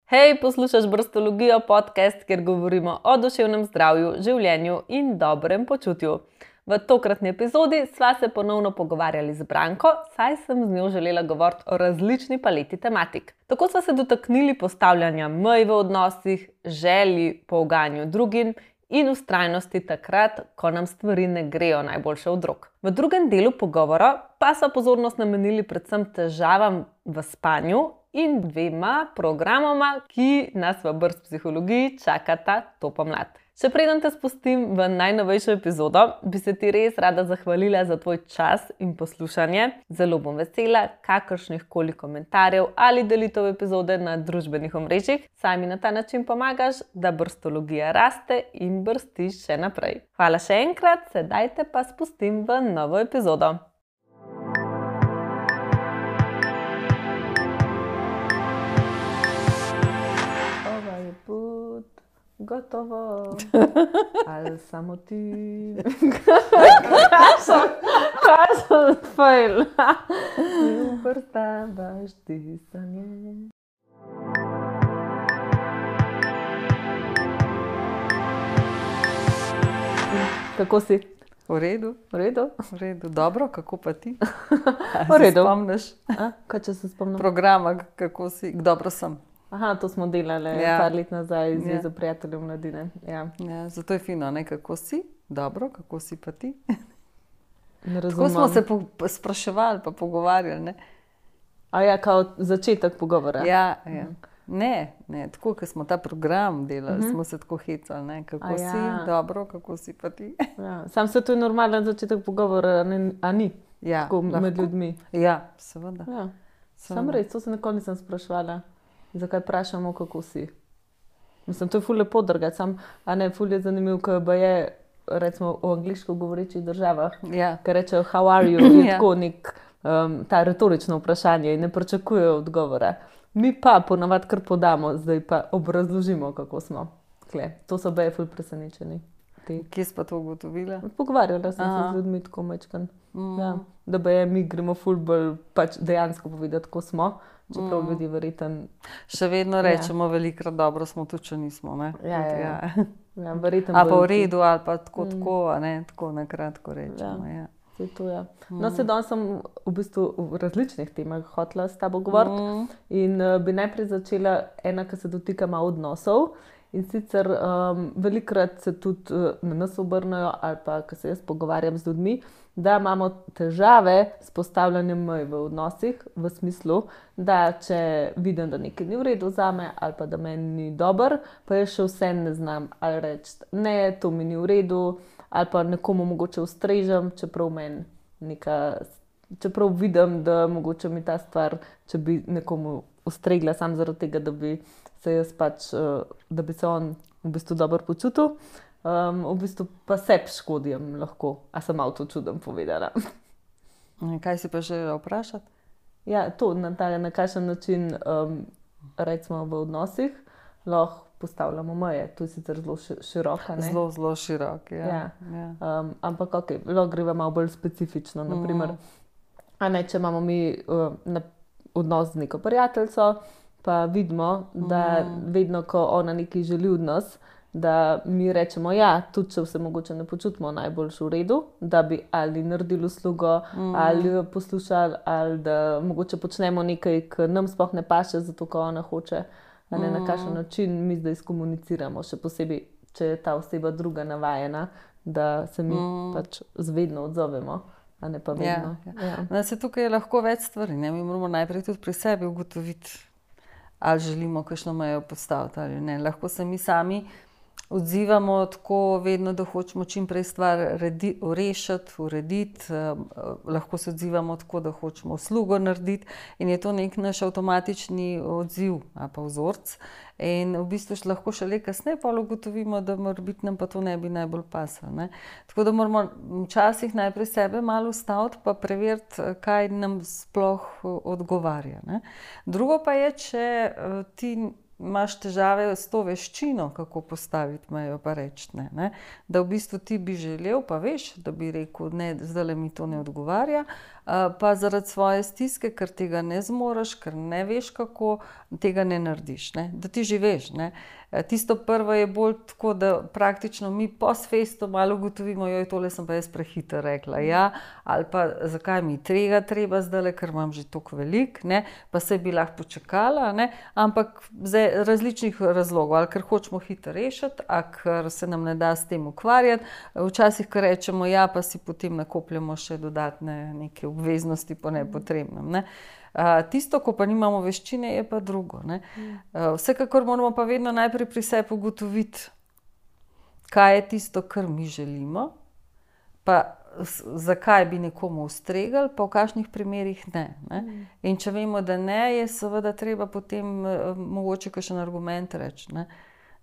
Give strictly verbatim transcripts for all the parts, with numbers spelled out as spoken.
Hej, poslušaš Brstologijo, podcast, kjer govorimo o duševnem zdravju, življenju in dobrem počutju. V tokratni epizodi sva se ponovno pogovarjali z Branko, saj sem z njo želela govoriti o različni paleti tematik. Tako sva se dotaknili postavljanja mej v odnosih, želji po uganju drugim in vztrajnosti takrat, ko nam stvari ne grejo najboljše od rok. V drugem delu pogovora pa sva pozornost namenili predvsem težavam v spanju in dvema programoma, ki nas v Brst psihologiji čakata to pomlad. Še preden te spustim v najnovejšo epizodo, bi se ti res rada zahvalila za tvoj čas in poslušanje. Zelo bom vesela kakršnih koli komentarjev ali delitev epizode na družbenih omrežjih, saj mi na ta način pomagaš, da brstologija raste in brsti še naprej. Hvala še enkrat, sedaj te pa spustim v novo epizodo. Ovaj put gotovo, ali samo ti, kaj sem fejla, mi uvrstavaš disanje. Kako si? V redu, V redu? v redu. Dobro, kako pa ti? V redu. Se spomniš A, kaj če se spomnim? programa, kako si? Dobro sem. Aha, to smo delali Ja. par let nazaj z Ja. Zvezo prijateljev mladine. Ja. Ja, zato je fino, ne? Kako si? Dobro, kako si pa ti? Ne Tako razumem. smo se po, po spraševali pa pogovarjali, ne? A ja, kao začetek pogovora. Ja, ja. Ne, ne, tako, ko smo ta program delali, Mhm. smo se tako hecali, ne? Kako A si? ja. Dobro, kako si pa ti? Ja. Sam se to je normalen začetek pogovora, a ne, a ni? Ja, Tako med lahko. ljudmi. Ja, seveda. Ja. seveda. Sam res, to se nikoli nisem spraševala. Zakaj vprašamo, kako si? Mislim, to je ful lepo drgati, sam, a ne, ful je zanimiv, ko pa je, recimo, v angliško govorečih državah, Ja, ker rečejo how are you, je Ja. tako nek, um, ta retorično vprašanje in ne pričakujejo odgovora. Mi pa ponavadi kar podamo, zdaj pa obrazložimo, kako smo. Kle, to so baje ful presenečeni. Ti. kje si pa to ugotovila? Pogovarjala sem Aha. se z ljudmi tako mečkan. Mm. Ja, da baje mi gremo ful bolj pač dejansko povedati, kako smo, čeprav Mm. ljudi verjetno. Še vedno rečemo velikrat dobro smo, tudi če nismo, ne? Ja, ja, ja. ja. Ja, verjetno Ali pa v bolj- redu, ali pa tako, Mm. tako, a ne, tako na kratko rečemo. Ja. Saj to je. No, se danes sem v bistvu v različnih temah hotela s tabo govoriti. Mm. In uh, bi najprej začela ena, ki se dotika malo odnosov. In sicer um, velikokrat se tudi uh, na nas obrnejo, ali pa ko se jaz pogovarjam z ljudmi, da imamo težave s postavljanjem mej v odnosih, v smislu, da če vidim, da nekaj ni v redu zame, ali pa da meni ni dober, pa jaz še vse ne znam ali reči, ne, to mi ni v redu, ali pa nekomu mogoče ustrežem, čeprav meni neka. Čeprav vidim, da mogoče mi ta stvar, če bi nekomu ustregla samo zaradi tega, da bi se jaz pač, eh, da bi se on v bistvu dobro počutil, um, v bistvu pa sebi škodim lahko. A sem malo to čudem povedala? Kaj si pa želela vprašati? Ja, to na, ta, na kakšen način, um, recimo v odnosih, lahko postavljamo meje. To je sicer zelo ši- široka, ne? Zelo, zelo širok. Ja. Ja. Ja. Um, ampak ok, lahko greva malo bolj specifično. Naprimer, a ne, če imamo mi uh, na, odnos z neko prijateljico, pa vidimo, da vedno, ko ona nekaj želi od nas, da mi rečemo, ja, tudi če se mogoče ne počutimo najboljš v redu, da bi ali naredili uslugo, mm. ali jo poslušali, ali da mogoče počnemo nekaj, ki nam sploh ne paše, zato ko ona hoče, a ne, na kakšen način mi zdaj skomuniciramo, še posebej, če je ta oseba druga navajena, da se mi mm. pač zvedno odzovemo, a ne pa vedno. Ja, ja. No, se tukaj je lahko več stvari. Ne? Mi moramo najprej tudi pri sebi ugotoviti, ali želimo kakšno mejo postaviti ali ne. Lahko se mi sami odzivamo tako vedno, da hočemo čim prej stvar redi, rešiti, urediti. Um, lahko se odzivamo tako, da hočemo uslugo narediti in je to nek naš avtomatični odziv ali pa vzorc. In v bistvu še lahko šele kasneje pa ugotovimo, da morebiti nam pa to ne bi najbolj pasalo, ne. Tako da moramo včasih najprej sebe malo ustaviti pa preveriti, kaj nam sploh odgovarja, ne. Drugo pa je, če ti imaš težave s to veščino, kako postaviti mejo, pa reči ne, ne. Da v bistvu ti bi želel, pa veš, da bi rekel, ne, zdajle mi to ne odgovarja, pa zaradi svoje stiske, ker tega ne zmoreš, ker ne veš kako, tega ne narediš, ne. Da ti že veš, ne. Tisto prvo je bolj tako, da praktično mi post festum malo ugotovimo, joj, tole sem pa jaz prehitro rekla, ja, ali pa zakaj mi tega treba zdajle, ker imam že toliko veliko, ne, pa saj bi lahko počakala, ne, ampak z različnih razlogov, ali ker hočemo hitro rešiti, ali ker se nam ne da s tem ukvarjati, včasih, ko rečemo ja, pa si potem nakopljamo še dodatne neke obveznosti po nepotrebnem, ne. Uh, tisto, ko pa nimamo veščine, je pa drugo, ne. Uh, vsekakor moramo pa vedno najprej pri sebi ugotoviti, kaj je tisto, kar mi želimo, pa zakaj bi nekomu ustregali, pa v kakšnih primerih ne, ne. In če vemo, da ne, je seveda treba potem uh, mogoče kakšen argument reči, ne.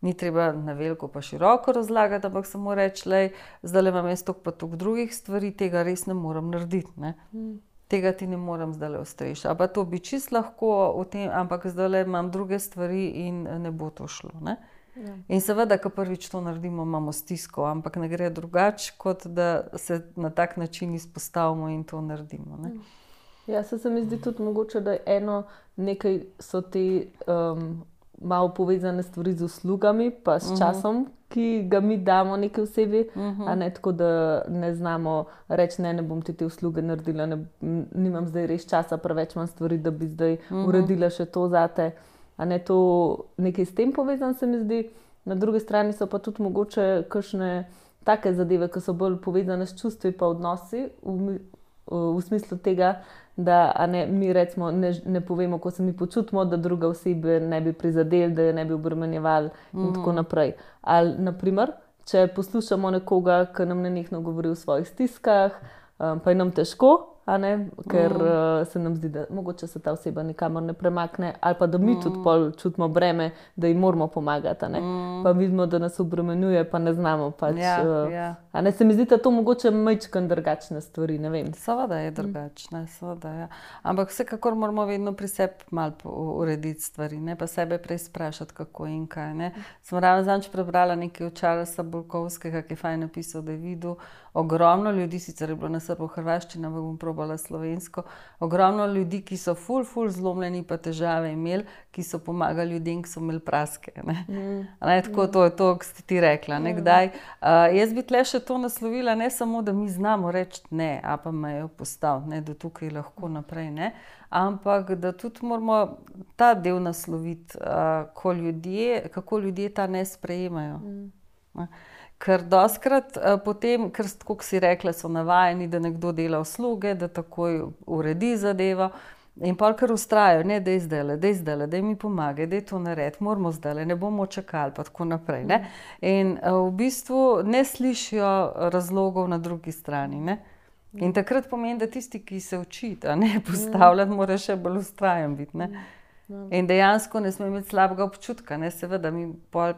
Ni treba na veliko pa široko razlagati, ampak samo reči, lej, zdajle imam jaz toliko pa toliko drugih stvari, tega res ne morem narediti, ne. Tega ti ne morem zdajle ustreči. A pa to bi čisto lahko v tem, ampak zdajle imam druge stvari in ne bo to šlo, ne. Ja. In seveda, ko prvič to naredimo, imamo stisko, ampak ne gre drugače, kot da se na tak način izpostavimo in to naredimo, ne. Ja, se, se mi zdi tudi mogoče, da eno nekaj so te um, malo povezane stvari z uslugami, pa s časom, uh-huh. ki ga mi damo neki osebi, uh-huh. a ne tako, da ne znamo reči, ne, ne bom ti te usluge naredila, ne, nimam zdaj res časa, preveč imam stvari, da bi zdaj uh-huh. uredila še to zate. A ne, to nekaj s tem povezan se mi zdi. Na drugi strani so pa tudi mogoče kakšne take zadeve, ki so bolj povezane s čustvi pa odnosi, v, v smislu tega, da a ne, mi recimo ne, ne povemo, ko se mi počutimo, da druga osebe ne bi prizadeli, da je ne bi obremenjevali in mm. tako naprej. Ali naprimer, če poslušamo nekoga, ki nam nenehno govori o svojih stiskah, um, pa je nam težko, a ne, ker mm. uh, se nam zdi, da mogoče se ta oseba nikamor ne premakne, ali pa da mi mm. tudi pol čutimo breme, da jim moramo pomagati, a ne. Mm. Pa vidimo, da nas obremenjuje, pa ne znamo pač. Ja, uh, ja. A ne, se mi zdi, da to mogoče majčkeno drugačne stvari, ne vem. Seveda je drugačne, mm. seveda, ja. Ampak vsekakor moramo vedno pri sebi malo urediti stvari, ne, pa sebe prej sprašati, kako in kaj, ne. Sem ravno zadnjič prebrala nekaj od Charlesa Bulkovskega, ki je fajn napisal, da je videl ogromno ljudi, sicer je bilo na srbo-hrvaščini, ampak bom probala slovensko, ogromno ljudi, ki so ful, ful zlomljeni pa težave imeli, ki so pomagali ljudem, ki so imeli praske, ne. Mm. Ne, tako mm. to je to, ki ste ti rekla, ne, kdaj. Uh, jaz bi tle še to naslovila, ne samo, da mi znamo reči ne, a pa mejo postaviti, ne, da tukaj lahko naprej, ne, ampak da tudi moramo ta del nasloviti, uh, ko ljudje, kako ljudje ta ne sprejemajo. Mm. Ne. Ker dostkrat uh, potem, ker tako si rekla, so navajeni, da nekdo dela usluge, da takoj uredi zadevo in pol kar ustrajajo, ne, daj zdajle, daj zdajle, daj mi pomagaj, daj to narediti, moramo zdajle, ne bomo čakali, pa tako naprej, ne. In uh, v bistvu ne slišijo razlogov na drugi strani, ne. In takrat pomeni, da tisti, ki se uči, a ne, postavljati, mora še bolj ustrajen biti, ne. In dejansko ne sme imeti slabega občutka, ne, seveda mi pol,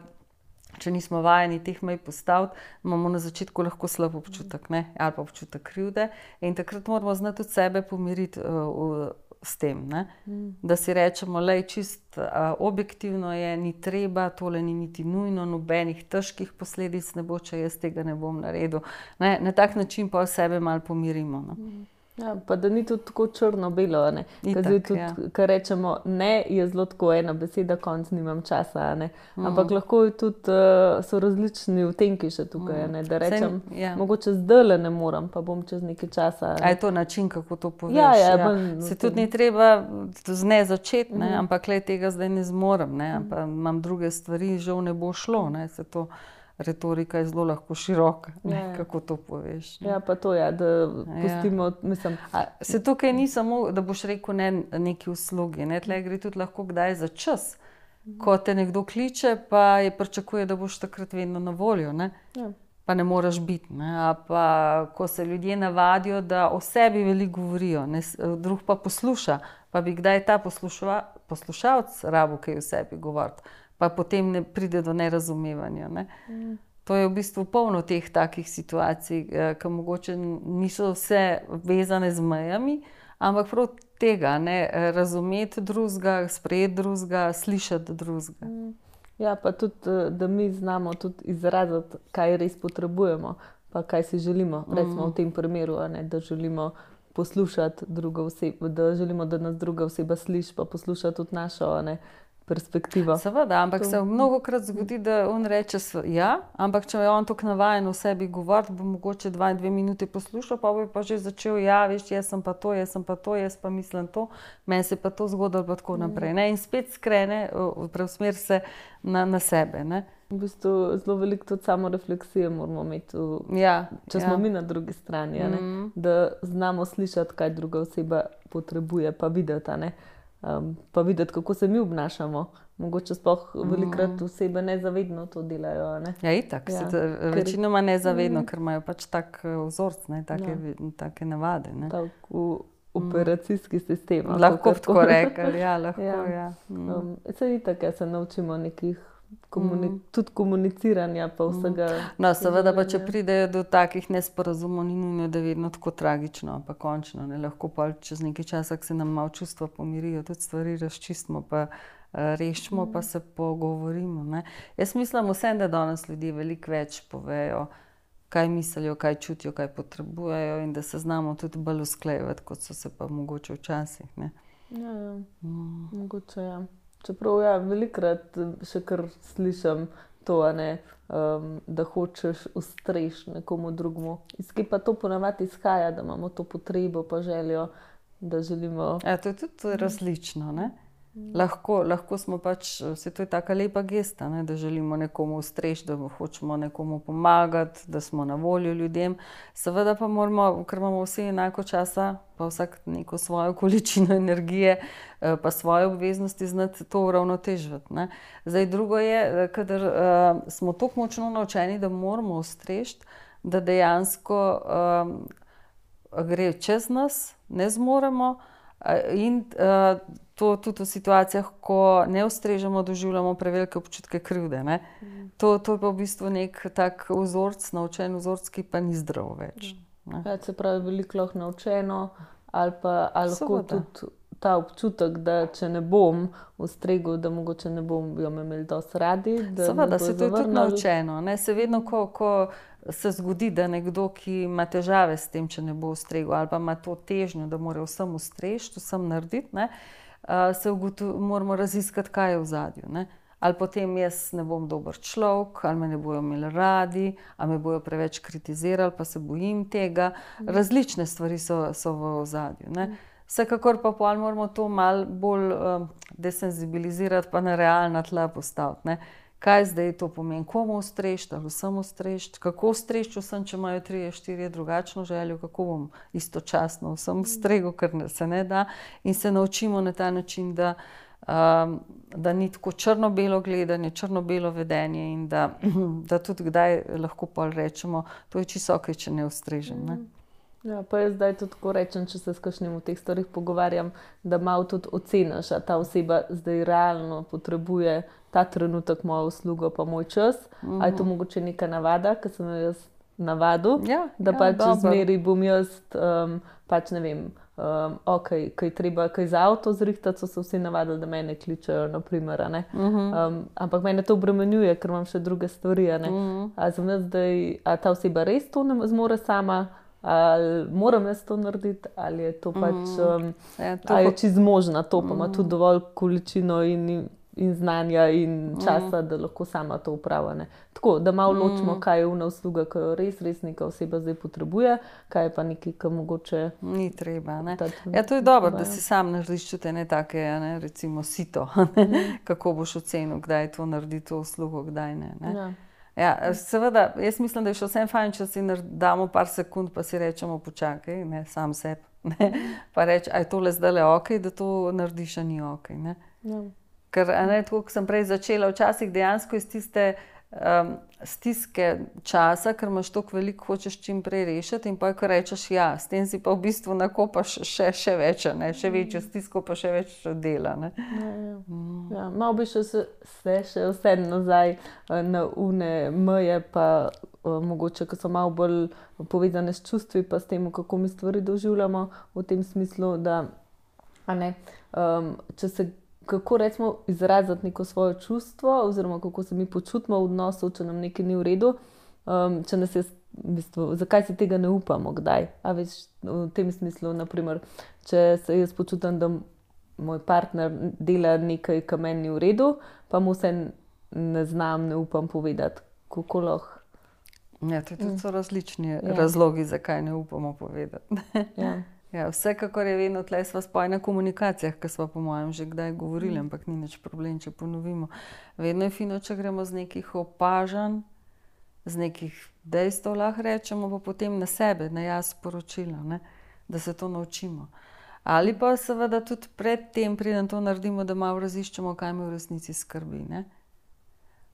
če nismo vajeni teh mej postaviti, imamo na začetku lahko slab občutek, ne, ali pa občutek krivde in takrat moramo znati tudi sebe pomiriti uh, s tem, ne, mm. da si rečemo, lej, čist uh, objektivno je, ni treba, tole ni niti nujno, nobenih težkih posledic ne bo, če jaz tega ne bom naredil, ne, na tak način pa sebe malo pomirimo, no. Mm. Ja, pa da ni tudi tako črno-belo, ne. Ker tudi, ja. Kar rečemo ne, je zelo tako ena beseda, konc nimam časa, ne. Ampak mm. lahko tudi uh, so različni vtenki še tukaj, mm. ne. Da rečem, Sem, ja. mogoče zdajle ne moram, pa bom čez nekaj časa. Ne. A je to način, kako to poveš? Ja, ja, ja. Bolj, se tudi ni treba z ne začeti, ne, mm. ampak le tega zdaj ne zmorem, ne, ampak imam druge stvari, žal ne bo šlo, ne, se to... Retorika je zelo lahko široka, ne, ja, kako to poveš. Ne. Ja, pa to je, ja, da pustimo, ja. mislim... A, se tukaj ni samo, da boš rekel ne neki uslugi, ne, tle gre tudi lahko kdaj za čas, mhm. ko te nekdo kliče, pa je pričakuje, da boš takrat vedno na voljo, ne, ja. pa ne moraš biti, ne, a pa ko se ljudje navadijo, da o sebi veliko govorijo, ne, drug pa posluša, pa bi kdaj ta poslušava, poslušalec rabo kaj o sebi govoriti. Pa potem ne pride do nerazumevanja. Ne? Mm. To je v bistvu polno teh takih situacij, ki mogoče niso vse vezane z mejami, ampak prav tega, ne, razumeti drugega, sprejeti drugega, slišati drugega. Ja, pa tudi, da mi znamo tudi izraziti, kaj res potrebujemo, pa kaj si želimo. Recimo v tem primeru, ne, da želimo poslušati drugo osebo, da želimo, da nas druga oseba sliši, pa posluša tudi našo, ne, perspektivo. Seveda, ampak to se mnogokrat zgodi, da on reče ja, ampak če je on tako navajen v sebi govoriti, bo mogoče dva, dve minuti poslušal, pa bo pa že začel, ja, veš, jaz sem pa to, jaz sem pa to, jaz pa mislim to, meni se pa to zgodilo, pa tako naprej. Ne? In spet skrene, preusmeri se na, na sebe. Ne? V bistvu zelo veliko tudi samo refleksije moramo imeti, v, ja, če smo ja. mi na drugi strani, mm -hmm. da znamo slišati, kaj druga oseba potrebuje, pa videti, ne? Um, pa videti, kako se mi obnašamo. Mogoče sploh velikokrat osebe nezavedno to delajo. Ne? Ja, itak. Ja, ker... Večinoma nezavedno, mm. ker imajo pač tak vzorc, ne, take, ja. take navade. Ne? Tak v operacijski sistem. Lahko tako rekli, ja, lahko, ja. ja. Mm. Um, se itak, ja, se naučimo nekih Komuni mm. tudi komuniciranja pa vsega. No, seveda pa, če pridejo do takih nesporazumov, ni nujno, da je vedno tako tragično, pa končno, ne, lahko pa čez nekaj časa, ko se nam malo čustva pomirijo, tudi stvari razčistimo, pa uh, rešimo, mm. pa se pogovorimo, ne. Jaz mislim vsem, da danes ljudje veliko več povejo, kaj mislijo, kaj čutijo, kaj potrebujejo in da se znamo tudi bolj usklajevati, kot so se pa mogoče včasih, ne. Ja, ja. Mm. Mogoče, ja. Čeprav ja, velikrat še kar slišim to, ne, um, da hočeš ustreči nekomu drugemu. Iz kje pa to ponavadi izhaja, da imamo to potrebo pa željo, da želimo... Ja, to je tudi različno, ne? Lahko, lahko smo pač, vse to je taka lepa gesta, ne, da želimo nekomu ustreči, da hočemo nekomu pomagati, da smo na voljo ljudem. Seveda pa moramo, ker imamo vsi enako časa, pa vsak neko svojo količino energije, pa svoje obveznosti znati to uravnotežiti. Ne. Zdaj drugo je, kadar uh, smo tako močno naučeni, da moramo ustreči, da dejansko uh, gre čez nas, ne zmoremo uh, in uh, to tudi v situacijah, ko ne ustrežemo, doživljamo prevelike občutke krivde. Ne? Mm. To, to je pa v bistvu nek tak vzorc, naučen vzorc, ki pa ni zdrav več. Mm. Ja, se pravi, veliko lahko naučeno, ali pa ali lahko tudi ta občutek, da če ne bom ustregel, da mogoče ne bom jo imeli dosti radi. Seveda, se to je tudi naučeno. Ne? Se vedno, ko, ko se zgodi, da nekdo, ki ima težave s tem, če ne bo ustregel, ali pa ima to težnjo, da mora vsem ustreči, vsem narediti, ne? Uh, se ugotovi, moramo raziskati, kaj je v zadju. Ne? Ali potem jaz ne bom dober človek, ali me ne bojo imeli radi, ali me bojo preveč kritizirali, pa se bojim tega. Različne stvari so, so v zadju. Ne? Vsekakor pa pol moramo to malo bolj um, desenzibilizirati, pa na realna tla postaviti. Ne? Kaj zdaj to pomeni? Komu ustreči, ali vsem ustreči? Kako ustreči vsem, če imajo trije, štirje drugačno željo? Kako bom istočasno vsem ustregel, ker se ne da? In se naučimo na ta način, da, um, da ni tako črno-belo gledanje, črno-belo vedenje in da, da tudi kdaj lahko pol rečemo, to je čisto okej, če ne ustrežem. Ne? Ja, pa jaz zdaj tudi tako rečem, če se s kakšnim v teh stvarih pogovarjam, da malo tudi oceniš, a ta oseba zdaj realno potrebuje ta trenutek mojo uslugo pa moj čas, mm-hmm. a je to mogoče neka navada, ki sem jo jaz navadil, ja, da ja, pač zmeri bom jaz, um, pač ne vem, um, ok, kaj treba, kaj za avto zrihtati, so se vsi navadili, da mene kličajo, naprimer, ne. Mm-hmm. Um, ampak mene to obremenjuje, ker imam še druge stvari, ne. Mm-hmm. A sem jaz zdaj, a ta oseba res to ne zmore sama, ali moram jaz to narediti, ali je to pač, um, ja, to ali je čisto zmožna to, pa ima mm. tudi dovolj količino in, in znanja in časa, mm. da lahko sama to upravlja. Tako, da malo mm. ločimo, kaj je una usluga, ki jo res, res neka oseba zdaj potrebuje, kaj je pa nekaj, ki mogoče... Ni treba, ne. Ja, to je dobro, da si sam narediš čute ne take, ne, recimo sito, mm. kako boš ocenil, kdaj to naredi to uslugo, kdaj ne. ne. Ja. Ja, seveda, jaz mislim, da je še vsem fajn, če si damo par sekund, pa si rečemo počakaj, ne, sam sebi, ne, pa reči, a je tole zdajle okej, da to narediš, a ni okej, ne. Ja. Ker, a ne, tako, ko sem prej začela, včasih dejansko iz tiste um, stiske časa, ker imaš toliko veliko, hočeš čim prej rešiti in pa ko rečeš ja, s tem si pa v bistvu nakopaš še, še več, ne, še večjo stisko, pa še več dela, ne. Ja, ja. Mm. Ja, malo bi še se, se še vse nazaj na une meje, pa uh, mogoče, ki so malo bolj povezane s čustvi, pa s tem, kako mi stvari doživljamo, v tem smislu, da a ne, um, če se kako recimo izraziti neko svoje čustvo, oziroma kako se mi počutimo v odnosu, če nam nekaj ni v redu, um, če nas je, v bistvu, zakaj si tega ne upamo, kdaj. A veš, v tem smislu, naprimer, če se jaz počutim, da moj partner dela nekaj, kar meni ni v redu, pa mu se ne znam, ne upam povedati, kako lahko. Ja, to tudi so različni ja. razlogi, zakaj ne upamo povedati. Ja. Ja, vsekakor je vedno tle sva spoj na komunikacijah, ki sva po mojem že kdaj govorili, mm. ampak ni nič problem, če ponovimo. Vedno je fino, če gremo z nekih opažanj, z nekih dejstev, lahko rečemo, pa potem na sebe, na jaz sporočilo, ne? Da se to naučimo. Ali pa seveda tudi pred tem, preden to naredimo, da malo raziščemo, kaj me v resnici skrbi, ne?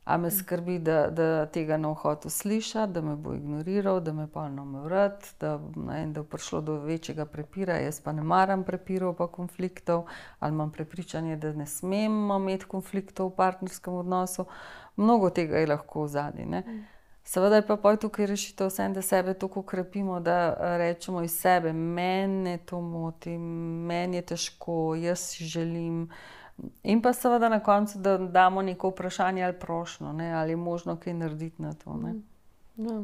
A me skrbi, da, da tega ne hotel slišati, da me bo ignoriral, da me polno me vrat, da, ne, da je prišlo do večjega prepira, jaz pa ne maram prepirov pa konfliktov, ali imam prepričanje, da ne smemo imeti konfliktov v partnerskem odnosu. Mnogo tega je lahko v zadnji, ne. Seveda je pa poj tukaj rešitev vsem, da sebe toliko krepimo, da rečemo iz sebe, mene to moti, meni je težko, jaz si želim. In pa seveda na koncu, da damo neko vprašanje ali prošnjo, ne, ali je možno kaj narediti na to, ne. Ja.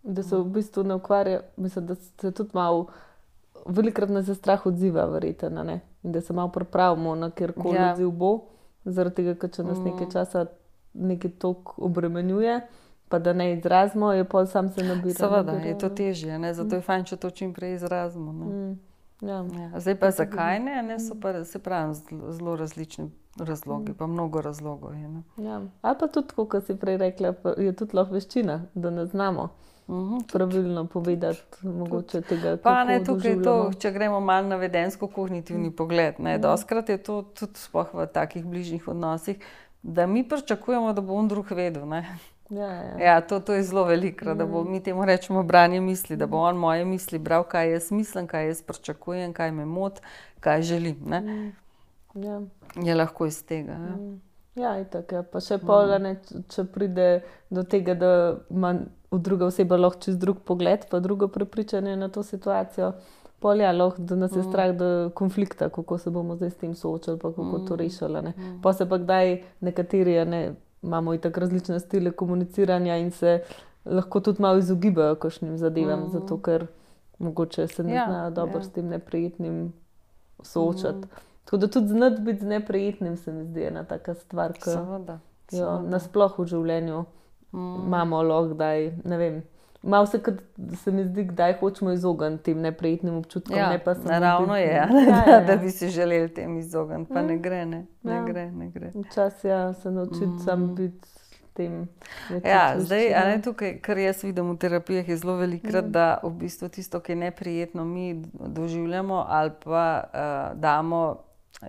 Da se v bistvu ne ukvarja, mislim, da se tudi malo, velikokrat nas je strah odziva, verjetno, ne. In da se malo pripravimo na kjerkoli ja. odziv bo, zaradi tega, ker če nas nekaj časa nekaj toliko obremenjuje, pa da ne izrazimo, je pol sam se nabira. Seveda, nabira, je to težje, ne, zato je fajn, če to čim prej izrazimo, ne. Mm. Ja. Ja, zdaj pa zakaj ne, ne so pa, se pravi, zelo različni razlogi, pa mnogo razlogov je. Ne? Ja. Ali pa tudi, kot si prej rekla, je tudi lahko veščina, da ne znamo uh-huh, pravilno povedati, mogoče tega, kako pa ne, tukaj je to, doživljamo. če gremo malo na vedensko-kognitivni pogled, ne, doskrat je to tudi sploh v takih bližnjih odnosih, da mi pričakujemo, da bo on drug vedel, ne. Ja, ja. Ja, to, to je zelo veliko, da bo, mi temu rečemo branje misli, da bo on moje misli bral, kaj jaz mislim, kaj jaz pričakujem, kaj me moti, kaj želim, ne. Ja. Je lahko iz tega, ja. Ja, itak, ja. Pa še pol, ne, če pride do tega, da ima druga oseba lahko čez drug pogled, pa drugo prepričanje na to situacijo, pol ja, lahko, da nas je strah do konflikta, kako se bomo zdaj s tem soočali, pa kako to rešili, ne. Pa se pa kdaj nekateri, ne, imamo itak različne stile komuniciranja in se lahko tudi malo izogibajo kakšnim zadevam, mm. zato ker mogoče se ne ja, znajo dobro ja. s tem neprijetnim soočati. Mm. Tako da tudi znati biti z neprijetnim se mi zdi ena taka stvar, ki jo nasploh v življenju mm. imamo lahko kdaj, ne vem, malo se, kad se mi zdi, kdaj hočemo izogniti tem neprijetnim občutkom. Ja, ne pa naravno biti, je, ja. Ja, ja. Da bi si želeli tem izogniti, pa ne gre, ne, ne ja. gre, ne gre. Včasih ja, se naučiti mm. sam biti tem. Ja, zdaj, a ne tukaj, kar jaz vidim v terapijah, je zelo velikrat, mm. da v bistvu tisto, ki je neprijetno, mi doživljamo ali pa uh, damo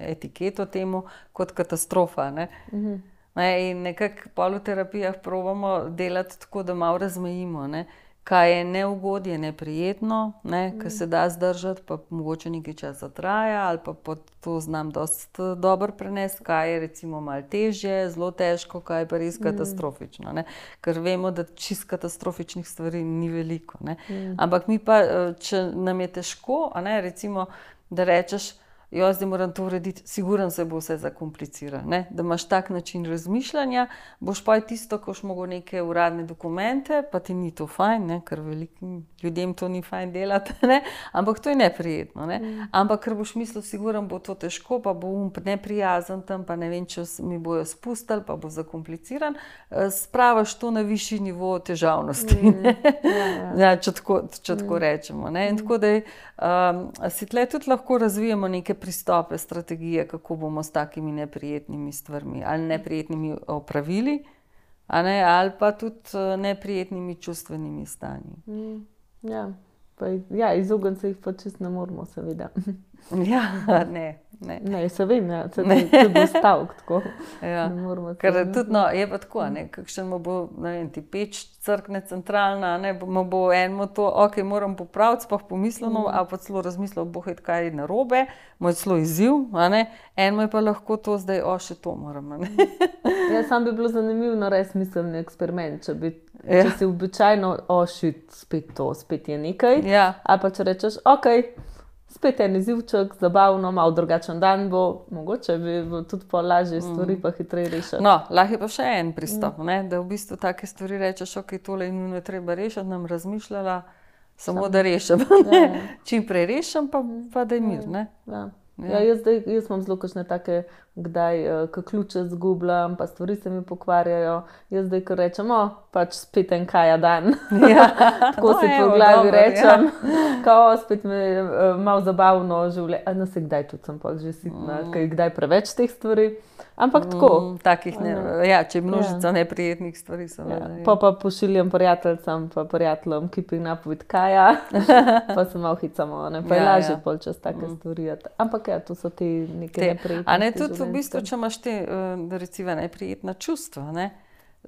etiketo temu kot katastrofa, ne. Mm-hmm. Ne, in nekako pol v terapijah probamo delati tako, da malo razmejimo, ne, kaj je neugodje, neprijetno, ne, mm. kaj se da zdržati, pa mogoče nekaj časa traja, ali pa to znam dosti dobro prenesti, kaj je recimo malo težje, zelo težko, kaj je pa res katastrofično, ne, ker vemo, da čist katastrofičnih stvari ni veliko, ne, mm. ampak mi pa, če nam je težko, a ne, recimo, da rečeš, jo, zdaj moram to urediti, siguran se bo vse zakomplicira, ne? Da imaš tak način razmišljanja, boš pa tisto, ko boš mogel neke uradne dokumente, pa ti ni to fajn, ne? Ker velikim ljudem to ni fajn delati, ne? Ampak to je neprijetno, ne? Mm. Ampak ker boš mislil, siguran bo to težko, pa bo um neprijazen tam, pa ne vem, če mi bojo spustili, pa bo zakompliciran, spravaš to na višji nivo težavnosti, mm. ne? Ja, ja. Ja, če tako, če tako mm. rečemo, ne? In tako da je, um, si tle tudi lahko razvijemo neke pristope, strategije, kako bomo s takimi neprijetnimi stvarmi, ali neprijetnimi opravili, a ne, ali pa tudi neprijetnimi čustvenimi stanji. Mm, ja, pa, ja, izogniti se jih pa čisto ne moramo, seveda. Ja, ne. Ne, ne se vem, ja. Se ti bo stavk tako. Ja. Ker tudi, no, je pa tako, ne, kakšen mu bo, ne vem, ti peč crkne centralna, ne, mu bo enemu to, ok, moram popraviti, sploh pomisleno, mm. ali pa celo razmislil, bo je kaj narobe, mu je celo izziv, a ne, enemu je pa lahko to zdaj, o, še to moram, ne. Ja, sam bi bilo zanimivo narediti smiselni eksperiment, če bi, ja. Če si običajno, o, šit, spet to, spet je nekaj, ja. Ali pa če rečeš, ok, spet en izzivček, zabavno, malo drugačen dan bo, mogoče bi tudi po lažje stvari mm. pa hitreje rešiti. No, lahko je pa še en pristop, mm. ne, da v bistvu take stvari rečeš, ok, tole je nujno treba rešiti, nam razmišljala, samo Sam. da rešim. Ja, ja. Čim prej rešim, pa, pa da je mir, ne. Ja. Ja. Ja, jaz, zdaj, jaz imam zelo kakšne take, kdaj uh, ključe zgubljam, pa stvari se mi pokvarjajo. Jaz zdaj, ko rečem, o, pač spet en kaja dan. Ja. Tako no, si po glavi dober, rečem, ja. Kao spet me je uh, malo zabavno življenje. A no se kdaj tudi sem pa že sitna, mm. kaj kdaj preveč teh stvari. Ampak tako. Mm, takih ne, ja, če je množica ja. neprijetnih stvari. Ja. Pa pa pošiljam prijateljcam, pa prijateljem, ki pi napoved kaja, pa se malo hicamo, ne, pa je ja, lažje ja. pol čas take mm. stvari. Ampak ja, to so ti neke neprijetnosti. A ne, tudi v bistvu, če imaš te, recimo, neprijetna čustva, ne,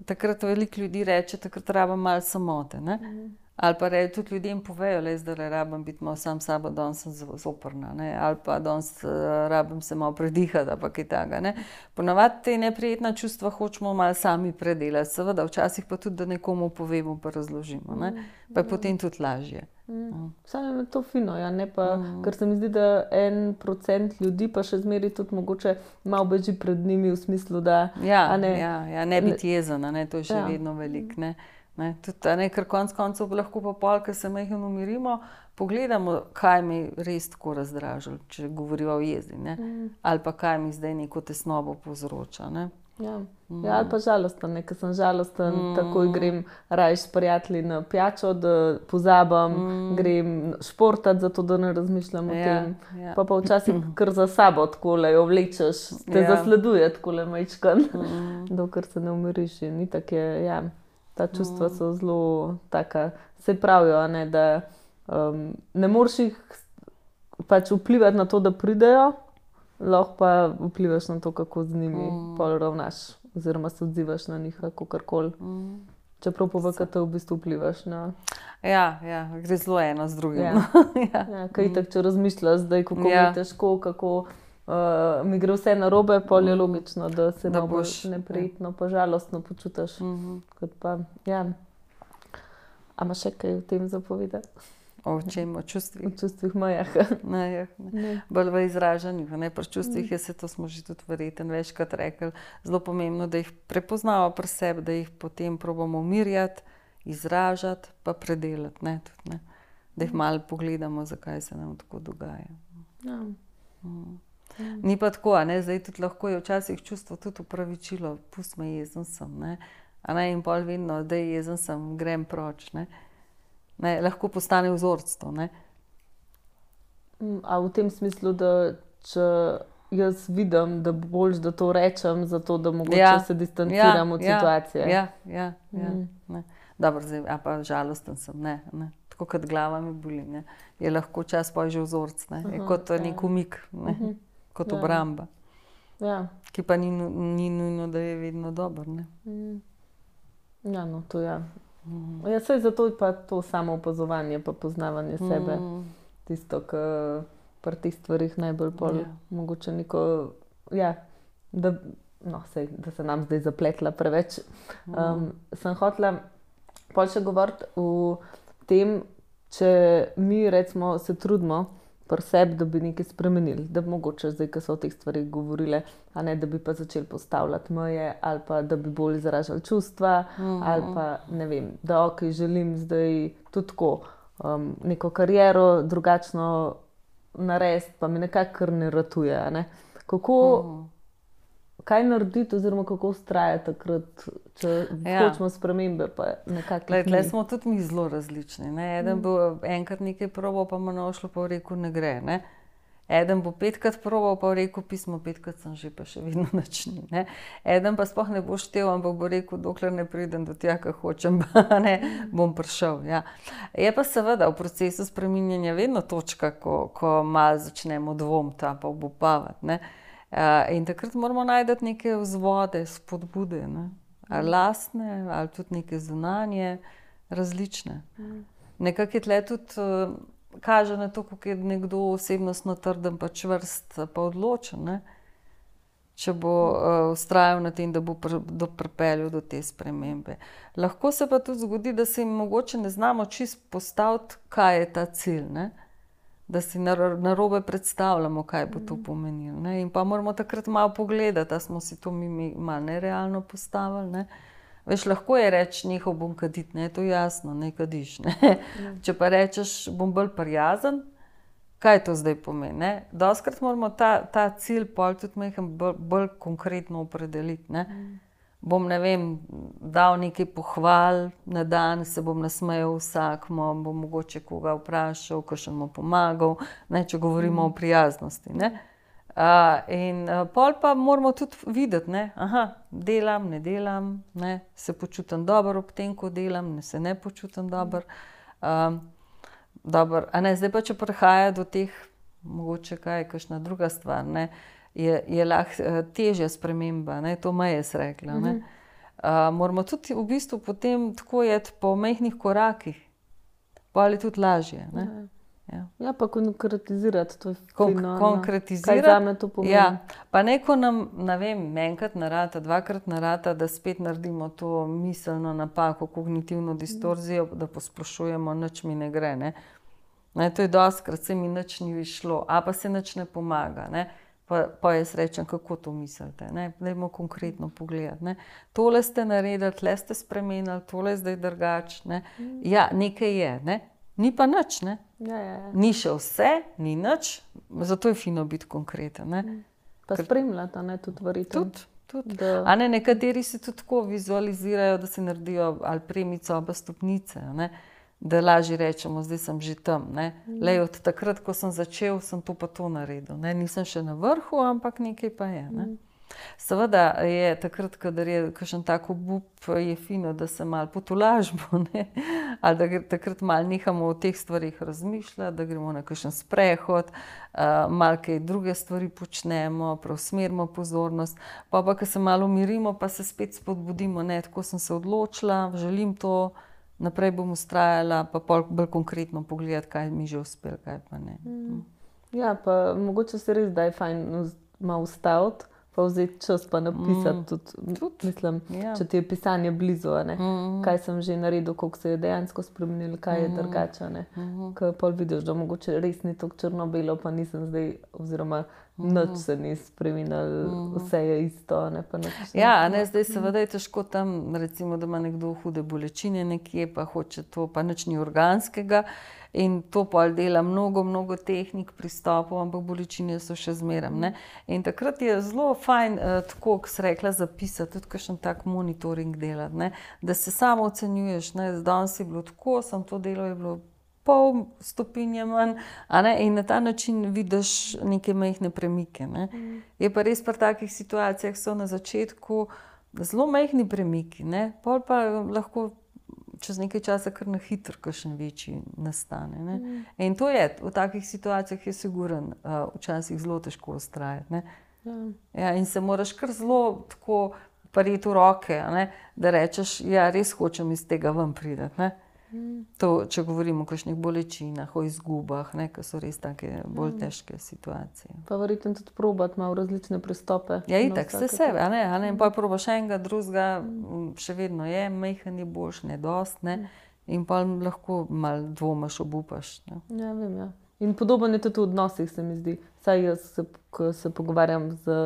takrat veliko ljudi reče, takrat rabam malo samote, ne. Mm. Ali pa reči, tudi ljudem povejo, le zdaj rabim biti malo sam sabo, danes sem zoprna, ne? Ali pa danes uh, rabim se malo predihati, ali pa kaj takega, ne. Ponavadi te neprijetna čustva hočemo malo sami predelati, seveda, včasih pa tudi, da nekomu povemo, pa razložimo, ne. Pa je potem tudi lažje. Mm. Mm. Samo je to fino, ja, ne pa, mm. ker se mi zdi, da en procent ljudi pa še zmeri tudi mogoče malo beži pred njimi v smislu, da... Ja, ne, ja, ja, ne biti jezen, ne, to je še ja. vedno velik, ne. Ne, tudi, ne, ker konc koncev lahko pa pol, ker se majhno umirimo, pogledamo, kaj mi res tako razdražilo, če govoriva o jezi, ne, mm. ali pa kaj mi zdaj neko tesnobo povzroča, ne. Ja. Mm. Ja, ali pa žalosten, ne, ker sem žalosten, mm. takoj grem rajš s prijatelji na pijačo, da pozabam, mm. grem športati, zato da ne razmišljam o ja, tem. Ja. Pa pa včasih kar za sabo takole jo vlečeš, te ja. zasleduje takole majčkan, mm. dokler se ne umiriš in itak je, ja. Ta čustva so zelo taka, se pravijo, ne, da um, ne moreš jih pač vplivati na to, da pridejo, lahko pa vplivaš na to, kako z njimi mm. pol ravnaš, oziroma se odzivaš na njih, kakorkoli. Mm. Čeprav pa v kate v bistvu vplivaš na... Ja, ja, gre zelo eno z drugim. Ja, ja. ja kaj mm. tak, če razmišljaš zdaj, kako ja. mi je težko, kako... Uh, mi gre vse narobe, pol je logično, da se da boš neprijetno, ja. pa žalostno počutiš. Mm-hmm. Kot pa, ja. A imaš še kaj o tem zapovedati? O čem? O čustvih? O čustvih mojah. Ne, ne. Bolj v izražanju. Ne? Pri čustvih mm. je se, to smo že tudi verjetno večkrat rekli, zelo pomembno, da jih prepoznamo pri sebi, da jih potem probamo umirjati, izražati, pa predelati. Ne? Tudi, ne? Da jih malo pogledamo, zakaj se nam tako dogaja. Ja. Mm. Ni pa tako, ne? Zdaj tudi lahko je včasih čustvo tudi upravičilo, pust me, jezen sem, ne? A ne? In pol vedno, da je jezen sem, grem proč, ne? Ne? Lahko postane vzorc to, ne? A v tem smislu, da če jaz vidim, da boljš, da to rečem, zato da mogoče ja. se distanciram ja, od situacije. Ja, ja, ja, mm. ja. Dobro, zdaj, a pa žalosten sem, ne, ne. Tako kot glava mi boli, ne. Je lahko čas pa že vzorc, ne. Je kot ja. nek umik, ne. Uh-huh. Kot ja. obramba, ja. ki pa ni, ni nujno, da je vedno dober. Ne? Mm. Ja, no, to ja. Mm. Ja, saj zato je pa to samo opazovanje, pa poznavanje mm. sebe. Tisto, ki pri teh stvarih najbolj pol, ja. mogoče neko, ja, da, no, sej, da se nam zdaj zapletla preveč. Mm. Um, sem hotela pol še govoriti o tem, če mi recimo se trudimo pri sebi, da bi nekaj spremenili, da bi mogoče zdaj, ko so o teh stvarih govorile, a ne, da bi pa začeli postavljati meje, ali pa da bi bolj izražali čustva, mm-hmm. ali pa, ne vem, da ok, želim zdaj tudi tako um, neko kariero drugačno narediti, pa mi nekako kar ne ratuje, a ne. Kako, mm-hmm. kaj narediti oziroma kako vztrajati takrat, če ja. hočemo spremembe, pa nekako... Tle smo tudi mi zelo različni, ne. Eden mm. bo enkrat nekaj probal, pa mu ne šlo, pa rekel, ne gre, ne. Eden bo petkrat probal, pa bo rekel, pismo petkrat sem že, pa še vedno nič ni. Ne? Eden pa sploh ne bo štel, ampak bo rekel, dokler ne pridem do tja, kar hočem, pa ne, bom prišel. Ja. Je pa seveda v procesu spreminjanja vedno točka, ko, ko malo začnemo dvomiti, pa obupavati. Ne? In takrat moramo najti neke vzvode, spodbude, ne? Ali lastne, ali tudi neke zunanje, različne. Nekako je tle tudi kaže na to, kako je nekdo osebnostno trden, pa čvrst, pa odločen, ne? Če bo uh, vztrajal na tem, da bo pr do pripeljal do te spremembe. Lahko se pa tudi zgodi, da se jim mogoče ne znamo čist postaviti, kaj je ta cilj, ne? Da si narobe predstavljamo, kaj bo to pomenilo. Ne? In pa moramo takrat malo pogledati, da smo si to mi, mi malo nerealno postavili. Ne? Veš, lahko je reči, nehal bom kaditi, ne, to je jasno, ne kadiš. Ne? Ja. Če pa rečeš, bom bolj prijazen, kaj to zdaj pomeni? Ne? Dostikrat moramo ta, ta cilj pol tudi meham bolj, bolj konkretno opredeliti. Ne? Mm. Bom, ne vem, dal nekaj pohval na dan, se bom nasmejal vsakmu, bom mogoče koga vprašal, kakšen mu pomagal, ne, če govorimo mm. o prijaznosti. Ne? Uh, in uh, pol pa moramo tudi videti, ne, aha, delam, ne delam, ne, se počutim dobro ob tem, ko delam, ne se ne počutim dobro. Um, dobro, a ne, zdaj pa, če prihaja do teh, mogoče kaj, kakšna druga stvar, ne, je, je lahko uh, težja sprememba, ne, to me je rekla, ne. Uh, moramo tudi v bistvu potem tako jeti po majhnih korakih, pol je tudi lažje, ne. Ja. ja, pa konkretizirati to. Kon fino, konkretizirati. Kaj zame to pomeni? Ja, pa neko nam, ne vem, enkrat narata, dvakrat narata, da spet naredimo to miselno napako, kognitivno distorzijo, da posplošujemo, nič mi ne gre, ne. Ne, to je dostikrat, se mi nič ni šlo, a pa se nič ne pomaga, ne. Pa, pa jaz rečem, kako to mislite, ne. Dajmo konkretno pogledati, ne. Tole ste naredili, tle ste spremenili, tole je zdaj drugače, ne. Ja, nekaj je, ne. Ni pa nič, ne. Ja, ja, ja. Ni še vse, ni nič, zato je fino biti konkreten. Ne? Pa spremljati, ne, tudi verjetno. Tudi, tudi. Da... A ne, nekateri se tudi tako vizualizirajo, da se naredijo ali premico, ali stopnice, ne? Da lažje rečemo, zdaj sem že tam. Ne? Mm. Lej, od takrat, ko sem začel, sem to pa to naredil. Ne? Nisem še na vrhu, ampak nekaj pa je. Ne? Mm. Seveda je takrat, kadar je kakšen tak obup, je fino, da se malo potolažimo, ne? Ali da takrat malo nehamo o teh stvarih razmišljati, da gremo na kakšen sprehod, uh, malo kaj druge stvari počnemo, preusmerimo pozornost, pa pa, ko se malo umirimo, pa se spet spodbudimo, ne, tako sem se odločila, želim to, naprej bom vztrajala, pa bolj konkretno pogledati, kaj mi že uspelo, kaj pa ne. Mm. Ja, pa mogoče se res da je fajn malo ustaviti, pa vzeti čas, pa napisati mm. tudi, tudi, mislim, ja. Če ti je pisanje blizu, ne, mm. kaj sem že naredil, koliko se je dejansko spremenilo, kaj je mm. drugače, ne, mm. Ko pol vidiš, da mogoče res ni tako črno-belo, pa nisem zdaj, oziroma mm. nič se ni spremenilo, mm. vse je isto, ne, pa nič. Ja, ne, zdaj seveda je težko tam, recimo, da ima nekdo hude bolečine nekje, pa hoče to, pa nič ni organskega, in to pol dela mnogo, mnogo tehnik, pristopov, ampak bolečine so še zmeram, ne. In takrat je zelo fajn, eh, tako, ko si rekla, zapisati, tudi kakšen tak monitoring delati, ne. Da se samo ocenjuješ, ne, danes je bilo tako, sem to delo, je bilo pol stopinje manj, a ne, in na ta način vidiš neke majhne premike, ne. Mm. Je pa res pri takih situacijah so na začetku zelo majhni premiki, ne, pol pa lahko čez nekaj časa kar na hitro kakšen večji nastane. Ne? Mm. In to je, v takih situacijah je siguren, uh, včasih zelo težko vztrajati. Ja. Ja, in se moraš kar zelo tako prijeti v roke, ne? Da rečeš, ja, res hočem iz tega ven priti. Ne? Mm. To, če govorimo o kakšnih bolečinah, o izgubah, ne? Ker so res take bolj težke situacije. Pa verjetno tudi probati malo različne pristope. Ja, itak, vse sebe, a ne, a ne, in pa probaš enega, drugega, mm. še vedno je, majhen je boljš, ne dost, ne, in pa lahko malo dvomaš, obupaš. Ne. Ja, vem, ja. In podobno je tudi v odnosih, se mi zdi. Saj jaz, se, ko se pogovarjam z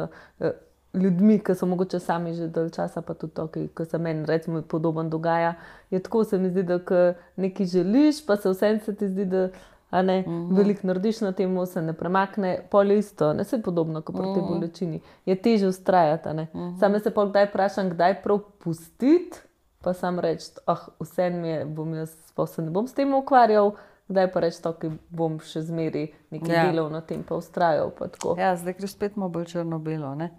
eh, ljudmi, ki so mogoče sami že dalj časa, pa tudi to, ki se meni recimo podoben dogaja, je tako, se mi zdi, da ko nekaj želiš, pa se vsem se ti zdi, da a ne, mm-hmm. veliko narediš na temu, se ne premakne, pol je isto, ne, se je podobno, kot pri tej Mm-hmm. bolečini. Je težje vztrajati, a ne. Mm-hmm. Same se pol kdaj vprašam, kdaj prav pustiti, pa sam reči, ah, vse mi je, bom jaz, pa se ne bom s tem ukvarjal, kdaj pa reči to, ki bom še zmeri nekaj Ja. delal na tem, pa ustrajal. Pa tako. Ja, zdaj greš spet malo bolj črno-belo, ne?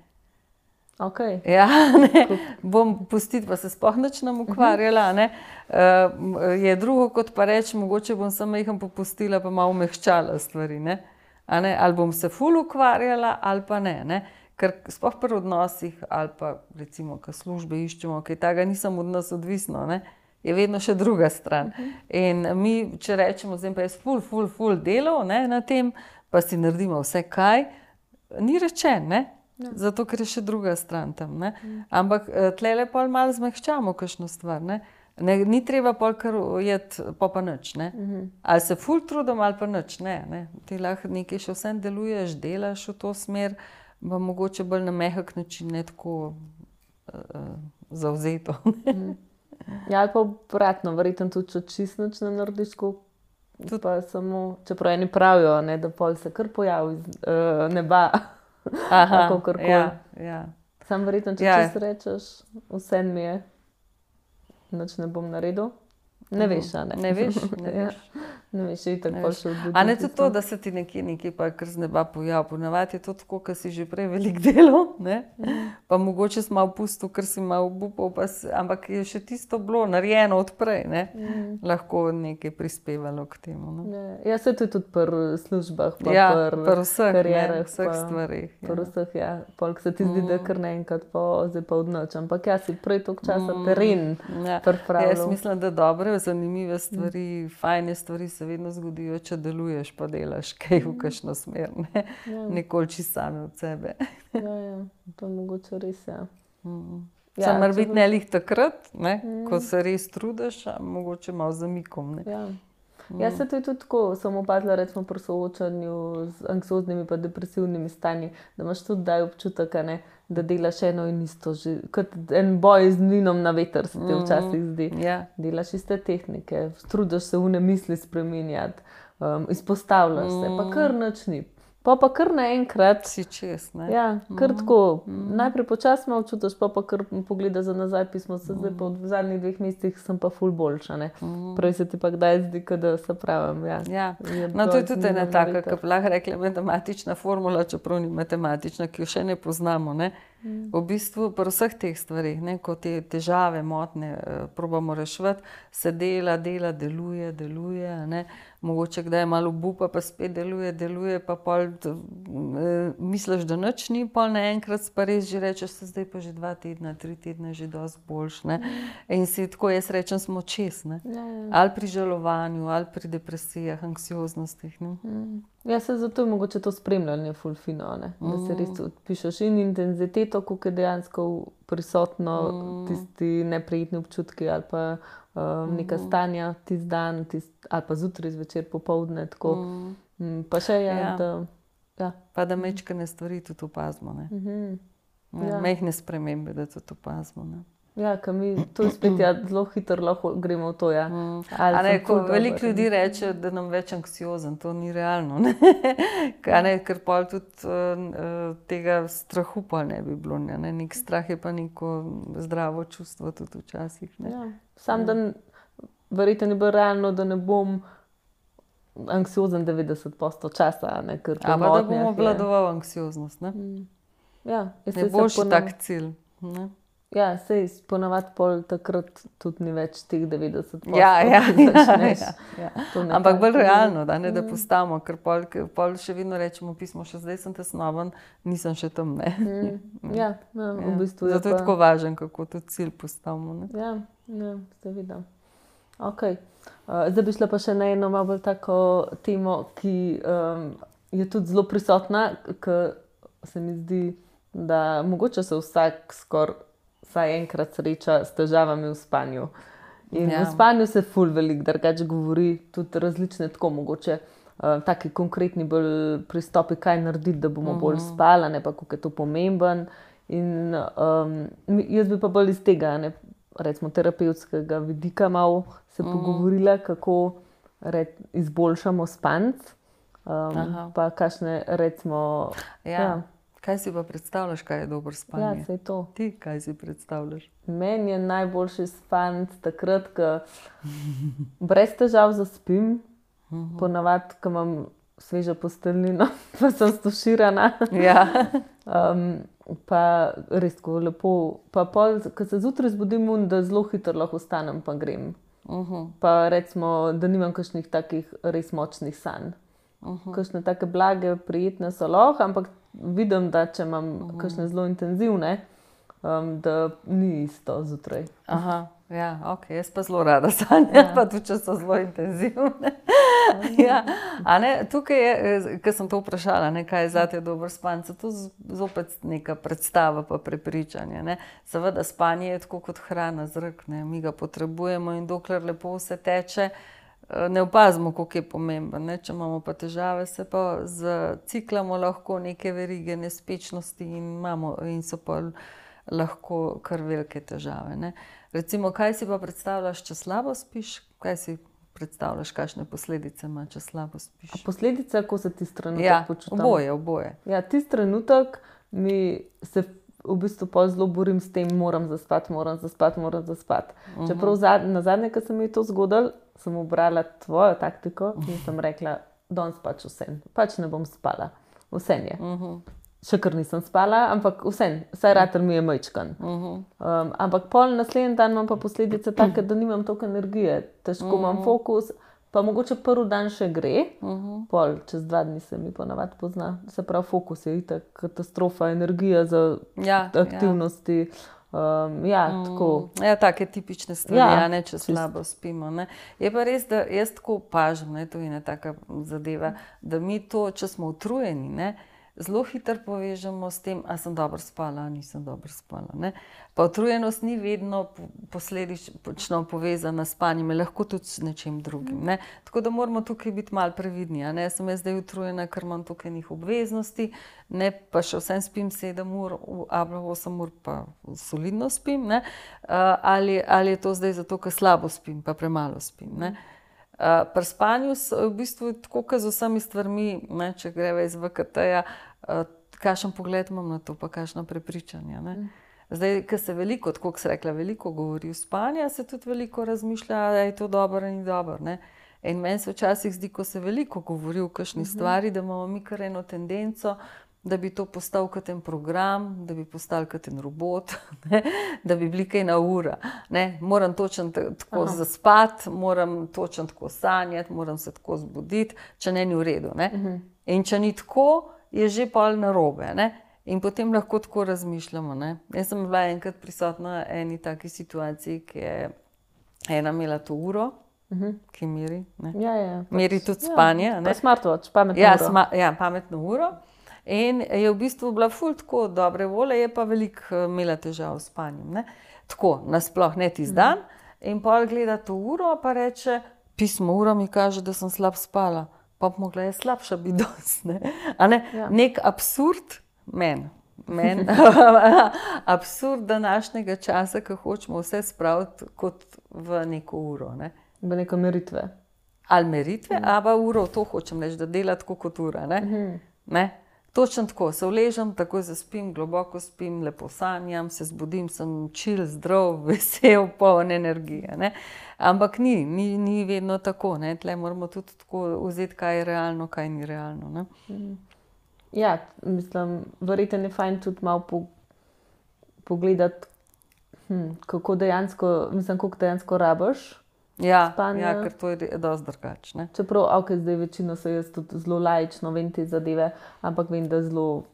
Okay. Ja, ne, bom pustiti, pa se sploh nič nam ukvarjala, ne. Uh, je drugo, kot pa reči, mogoče bom samo majhen popustila, pa malo umehčala stvari, ne. A ne, ali bom se ful ukvarjala, ali pa ne, ne. Ker sploh pri odnosih, ali pa recimo, ko službe iščemo, kaj takega nisem od nas odvisno, ne, je vedno še druga stran. In mi, če rečemo, zdaj pa jaz ful, ful, ful delal, ne, na tem, pa si naredimo vse kaj, ni rečen, ne. Ja. Zato, ker je še druga stran tam, ne. Mm. Ampak tlele pol malo zmehčamo kakšno stvar, ne. Ne, ni treba pol kar ujeti, pa pa nič, ne. Mm-hmm. Ali se ful trudim, ali pa nič, ne, ne. Ti lahko nekaj še vsem deluješ, delaš v to smer, pa mogoče bolj na mehak način, ne tako uh, zavzeto. Mm. Ja, ali pa obratno, verjetno tudi, če čisto nič ne narediš, tudi pa samo, čeprav eni pravijo, ne, da pol se kar pojavi iz uh, neba. Aha, ja, ja. Sam verjetno, če ja. Čisto rečeš, vse mi je, nič ne bom naredil. Ne veš, a ne? Ne veš, ne veš. Ja. Ne veš, je tako pol še odbuditi. A ne tudi to, da se ti nekje nekaj pa kar z neba pojavi. Ponavadi je to tako, ker si že prej veliko delal, ne? Mm. Pa mogoče si malo pustil, ker si malo obupal, pa si, ampak je še tisto bilo narejeno odprej, ne? Mm. Lahko nekaj prispevalo k temu, ne? Ne. Ja, se to je tudi pri službah, pa ja, pri pr vseh, karierah, ne, vseh stvarih. Ja. Pri vseh, ja. Polk se ti zdi, mm. da kar naenkrat pa zdaj pa odnoč. Ampak ja, si prej toliko časa mm. teren ja. pripravljal. Jaz mislim, da dobre, zanimive stvari, mm. fajne stvari se vedno zgodijo, če deluješ, pa delaš kaj v kakšno smer, ne? Ja. Nikoli čisto same od sebe. Ja, ja, to je mogoče res, ja. Mm. Ja, sam mora biti ne lih takrat, ne? Mm. Ko se res trudiš, a mogoče malo zamikom, ne? Ja. Mm. Ja, se to je tudi tako, sem opazila recimo pri soočanju z anksioznimi pa depresivnimi stanji, da imaš tudi daj občutek, ne, da delaš eno in isto, že kot en boj z mlinom na veter se ti včasih zdi. Mm. Ja. Delaš iste tehnike, trudiš se vne misli spreminjati, um, izpostavljaš mm. se, pa kar nič ni. Pa pa kar naenkrat si čez, ne? Ja, kar mm. tako. Mm. Najprej počasno malo čutiš, pa pa kar pogledaš za nazaj pismo, se mm. zdaj pa v zadnjih dveh mesecih sem pa ful boljša, ne. Mm. Prej se ti pa kdaj zdi, da se pravim, ja. Ja, no to je tudi ena taka, ki bi lahko rekla matematična formula, čeprav ni matematična, ki jo še ne poznamo, ne. Mm. V bistvu pri vseh teh stvarih, ne, ko te težave, motne probamo reševati, se dela, dela, deluje, deluje, ne. Mogoče kdaj malo obupa, pa spet deluje, deluje, pa pol e, misliš, da nič ni, pol naenkrat pa res že rečeš, se zdaj pa že dva tedna, tri tedna že dosti boljš, ne. In si tako, jaz rečem, smo čez, ne. Ja, ja. Ali pri žalovanju, ali pri depresijah, anksioznostih, ne. Mm. Ja, se zato je mogoče to spremljanje ful fino, ne. Da se res odpišeš in intenziteto, koliko je dejansko prisotno, mm. tisti neprijetni občutki ali pa um, neka stanja tisti dan, tist, ali pa zjutraj, zvečer, popoldne, tako. Mm. Pa še je, ja. Da... Ja. Pa da mečkane stvari tudi opazimo, ne. Mm-hmm. Ja, ja. Mehne spremembe, da tudi opazimo, ne. Ja, ker mi to spet ja, zelo hitro lahko gremo v to, ja. Mm. A ne, ko veliko ljudi reče, da nam več anksiozen, to ni realno, ne. A ne, ker pol tudi uh, tega strahu pa ne bi bilo, ne. Nek strah je pa neko zdravo čustvo tudi včasih, ne. Ja. Sam, da verjetno ni bilo realno, da ne bom anksiozen devetdeset odstotkov časa, ne, ker po motnjah je. A pa da bom obvladoval anksioznost, ne. Mm. Ja. Ne boljši ponov... tak cilj, ne. Ja, sej ponavadi pol takrat tudi ni več teh devetdeset odstotkov. Ja, ja, ja, ja, ja. Ampak bolj realno, da ne, da postavimo, ker pol, pol še vedno rečemo pismo, še zdaj sem tesnoben, nisem še tam, ne. Mm. Ja, ja, v bistvu ja. Zato je pa... tako važen, kako to cilj postavimo, ne. Ja, ja, seveda. Ok. Uh, zdaj bi šla pa še na eno malo bolj tako temo, ki um, je tudi zelo prisotna, ker se mi zdi, da mogoče se vsak skoraj vsaj enkrat sreča s težavami v spanju. In ja. V spanju se ful veliko drugače govori, tudi različne tako mogoče, uh, taki konkretni bolj pristopi, kaj narediti, da bomo uh-huh. bolj spala, ne pa koliko je to pomemben. In um, jaz bi pa bolj iz tega, ne, recimo terapevtskega vidika malo se uh-huh. pogovorila, kako red, izboljšamo spanc, um, pa kakšne recimo... Ja. Ja. Kaj si pa predstavljaš, kaj je dobro spanje? Ja, sej to. Ti, kaj si predstavljaš? Meni je najboljši spanc takrat, ko brez težav zaspim, Mm-hmm. Ponavadi, ko imam svežo posteljnino, pa sem stuširana. Ja. um, pa res tako lepo. Pa pol, ko se zjutraj zbudim, da zelo hitro lahko vstanem, pa grem. Uh-huh. Pa recimo, da nimam kakšnih takih res močnih sanj. Uh-huh. Kakšne take blage, prijetne so lahko, ampak vidim, da če imam uh-huh. kakšne zelo intenzivne, um, da ni isto zjutraj. Aha, ja, ok, jaz pa zelo rada sanjam, ja. Pa tudi, če so zelo intenzivne. Ja, a ne, tukaj je, ko sem to vprašala, ne, kaj je zate dober spanj, to zopet neka predstava pa prepričanje, ne. Seveda spanje je tako kot hrana, zrak, ne, mi ga potrebujemo in dokler lepo vse teče, ne opazimo, koliko je pomemben, ne, če imamo pa težave, se pa zaciklamo lahko neke verige nespečnosti in imamo in so pa lahko kar velike težave, ne. Recimo, kaj si pa predstavljaš, če slabo spiš, kaj si predstavljaš, kakšne posledice ima, če slabo spiš? A posledice, ko se tisti trenutek ja, počutam? Oboje, oboje. Ja, tisti trenutek mi se v bistvu pa zelo borim s tem, moram zaspati, moram zaspati, moram zaspati. Uh-huh. Čeprav zad, na zadnje, ko se mi je to zgodilo, sem obrala tvojo taktiko in sem rekla, danes pač vsem, pač ne bom spala, vsem je. Uh-huh. Še kar nisem spala, ampak vsem, vsaj rater mi je majčkan. Uh-huh. Um, ampak pol naslednji dan imam pa posledice take, da nimam toliko energije, težko uh-huh. imam fokus, pa mogoče prvi dan še gre, uh-huh. pol čez dva dni se mi ponavadi pozna, se pravi fokus je itak katastrofa, energija za ja, aktivnosti. Ja. Um, ja, mm. tako. Ja, take tipične stvari, ja, ja, ne, če slabo spimo. Ne. Je pa res, da jaz tako opažam, ne, to je ena taka zadeva, da mi to, če smo utrujeni, ne, zelo hitro povežemo s tem, a sem dobro spala, a nisem dobro spala. Ne? Pa utrujenost ni vedno posledično povezana s spanjem, lahko tudi s nečim drugim. Ne? Tako da moramo tukaj biti malo previdni. A ne? Sem jaz zdaj utrujena, ker imam tukaj njih obveznosti, ne, pa še vsem spim sedem ur, ali osem ur pa solidno spim. Ne? Ali, ali je to zdaj zato, ker slabo spim, pa premalo spim. Ne? Uh, pri spanju so v bistvu tako, kot z vsemi stvarmi, ne, če greva iz V K T-ja, uh, kakšen pogled imam na to, pa kakšno prepričanje. Ne. Zdaj, ko se veliko, tako kot se rekla, veliko govori o spanju, se tudi veliko razmišlja, da je to dobro in ni dobro. Ne. In meni se včasih zdi, ko se veliko govori o kakšni uh-huh. stvari, da imamo mi kar eno tendenco, da bi to postal kot en program, da bi postal kot en robot, ne? Da bi bili kaj na ura. Ne? Moram točno tako Aha. zaspati, moram točno tako sanjati, moram se tako zbuditi, če ne ni v redu. Ne? Uh-huh. In če ni tako, je že pol narobe. Ne? In potem lahko tako razmišljamo. Ne? Jaz sem bila enkrat prisotna v eni taki situaciji, ki je ena imela to uro, uh-huh. ki meri. Ne? Ja, ja, pač, meri tudi spanje. Ja, pa smartwatch, pametno ja, uro. Sma, ja, pametno uro. In je v bistvu bila ful tako dobre vole, je pa veliko imela težav s spanjem. Ne? Tako, nasploh ne tisti dan. In pol gleda to uro, pa reče, pismo ura mi kaže, da sem slab spala. Pa bi mogla je slabša biti danes. Ne? A ne? Ja. Nek absurd, men, men, absurd današnjega časa, ko hočemo vse spraviti kot v neko uro. Ne? V neko meritve. Ali meritve, mm. ali uro, to hočem reči, da dela tako kot ura. Ne? Mm-hmm. Ne? Točno tako, se vležem, takoj zaspim, globoko spim, lepo sanjam, se zbudim, sem čil, zdrav, vesel, poln energije. Ne? Ampak ni, ni, ni vedno tako. Ne? Tle moramo tudi tako vzeti, kaj je realno, kaj ni realno. Ne? Ja, mislim, verjetno je fajn tudi malo po, pogledati, hm, kako dejansko, mislim, koliko dejansko rabiš. Ja, ja, ker to je dosti drugače. Čeprav, ok, zdaj večino se jaz tudi zelo laično vem te zadeve, ampak vem, da zelo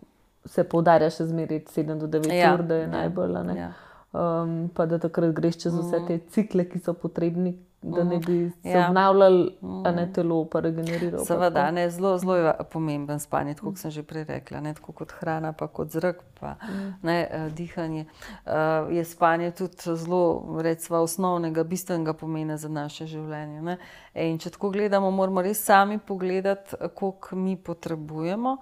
se poudarja še zmeraj sedem do devet ja, ur, da je ja, najbolj. Ja. Um, pa da takrat greš čez vse te cikle, ki so potrebni, da ne bi se ja. obnavljali, a ne telo pa regeneriral. Seveda, ne, zelo, zelo je pomemben spanje, tako kot sem že prej rekla, ne, tako kot hrana, pa kot zrak, pa mm. ne, dihanje. Uh, je spanje tudi zelo, recimo, osnovnega, bistvenega pomena za naše življenje. Ne. In če tako gledamo, moramo res sami pogledati, koliko mi potrebujemo,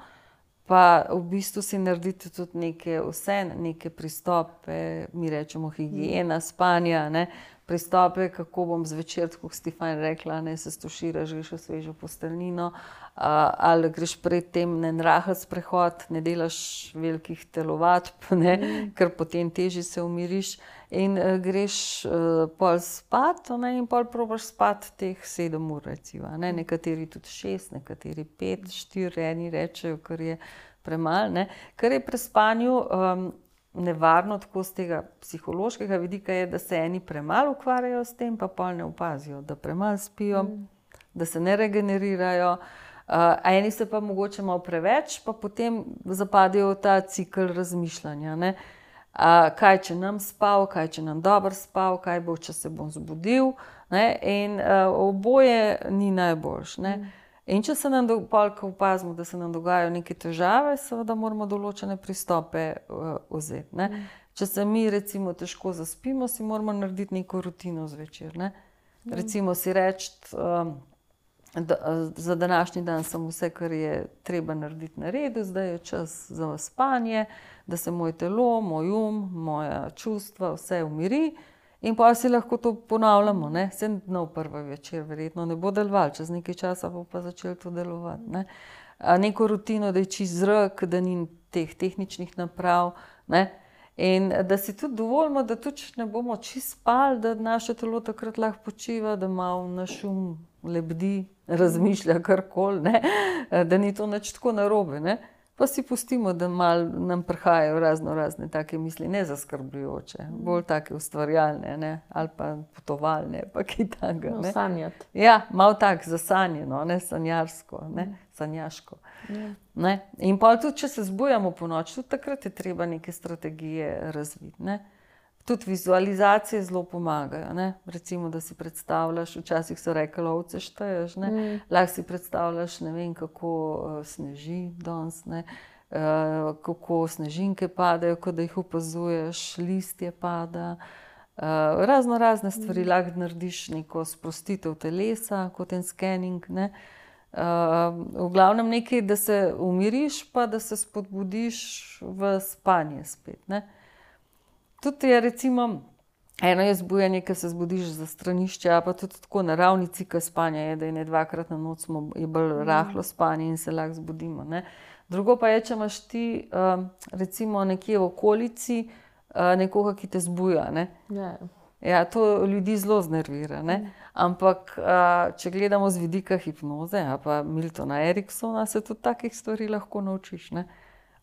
pa v bistvu si narediti tudi neke, vse neke pristope, mi rečemo higiena, spanja, ne, pristope, kako bom zvečer, tako kot si fajn rekla, ne, se stuširaš, greš v svežo posteljnino, ali greš pred tem na en rahel sprehod, ne delaš velikih telovadb, ne, mm. ker potem težje se umiriš. in uh, greš uh, pol spat, ne, in pol probaš spat teh sedem ur, recimo, ne, nekateri tudi šest, nekateri pet, štiri, eni rečejo, kar je premalo, ne, kar je pri spanju um, nevarno tako z tega psihološkega vidika je, da se eni premalo ukvarjajo s tem, pa pol ne opazijo, da premalo spijo, mm. da se ne regenerirajo, uh, a eni se pa mogoče malo preveč, pa potem zapadejo v ta cikel razmišljanja, ne. Uh, kaj, če nam spal, kaj, če nam dobro spal, kaj bo, če se bom zbudil, ne, in uh, oboje ni najboljš, ne. Mm. In če se nam, pol, ko opazimo, da se nam dogajajo neke težave, seveda moramo določene pristope uh, vzeti, ne. Mm. Če se mi recimo težko zaspimo, si moramo narediti neko rutino zvečer, ne. Mm. Recimo si reči, um, da, za današnji dan sem vse, kar je treba narediti na redu, zdaj je čas za spanje, da se moje telo, moj um, moja čustva, vse umiri in pa si lahko to ponavljamo, ne, sedem dnov prvi večer, verjetno ne bo delovalo, čez nekaj časa bo pa začelo to delovati, ne. A neko rutino, da je čist zrak, da ni teh tehničnih naprav, ne, in da si tudi dovolimo, da tudi ne bomo čist spali, da naše telo takrat lahko počiva, da malo naš um lebdi, razmišlja karkoli, ne, da ni to nič tako narobe, ne. Pa si pustimo, da malo nam prihajajo razno razne take misli, ne zaskrbljujoče, bolj take ustvarjalne, ne, ali pa potovalne, pa kaj takega, ne. No, sanjati. Ja, malo tak zasanjeno, ne, sanjarsko, ne, sanjaško. Ne. In pa tudi, če se zbujamo po noči, tudi takrat je treba neke strategije razviti, ne. Tudi vizualizacije zelo pomagajo, ne. Recimo, da si predstavljaš, včasih so rekli, ovce šteješ, ne. Mm. Lahko si predstavljaš, ne vem, kako uh, sneži danes, ne. Uh, kako snežinke padajo, ko da jih opazuješ, listje pada. Uh, razno razne stvari, mm. lahko narediš neko sprostitev telesa, kot en scanning, ne. Uh, v glavnem nekaj, da se umiriš, pa da se spodbudiš v spanje spet, ne. Tudi je recimo, eno je zbujanje, ko se zbudiš za stranišče, pa tudi tako naravni cikel spanja je, da je ne dvakrat na noč smo, je bolj rahlo spanje in se lahko zbudimo, ne. Drugo pa je, če imaš ti uh, recimo nekje v okolici uh, nekoga, ki te zbuja, ne. Ja. Ja, to ljudi zelo znervira, ne. Ampak uh, če gledamo z vidika hipnoze, a pa Miltona Eriksona, se tudi takih stvari lahko naučiš, ne.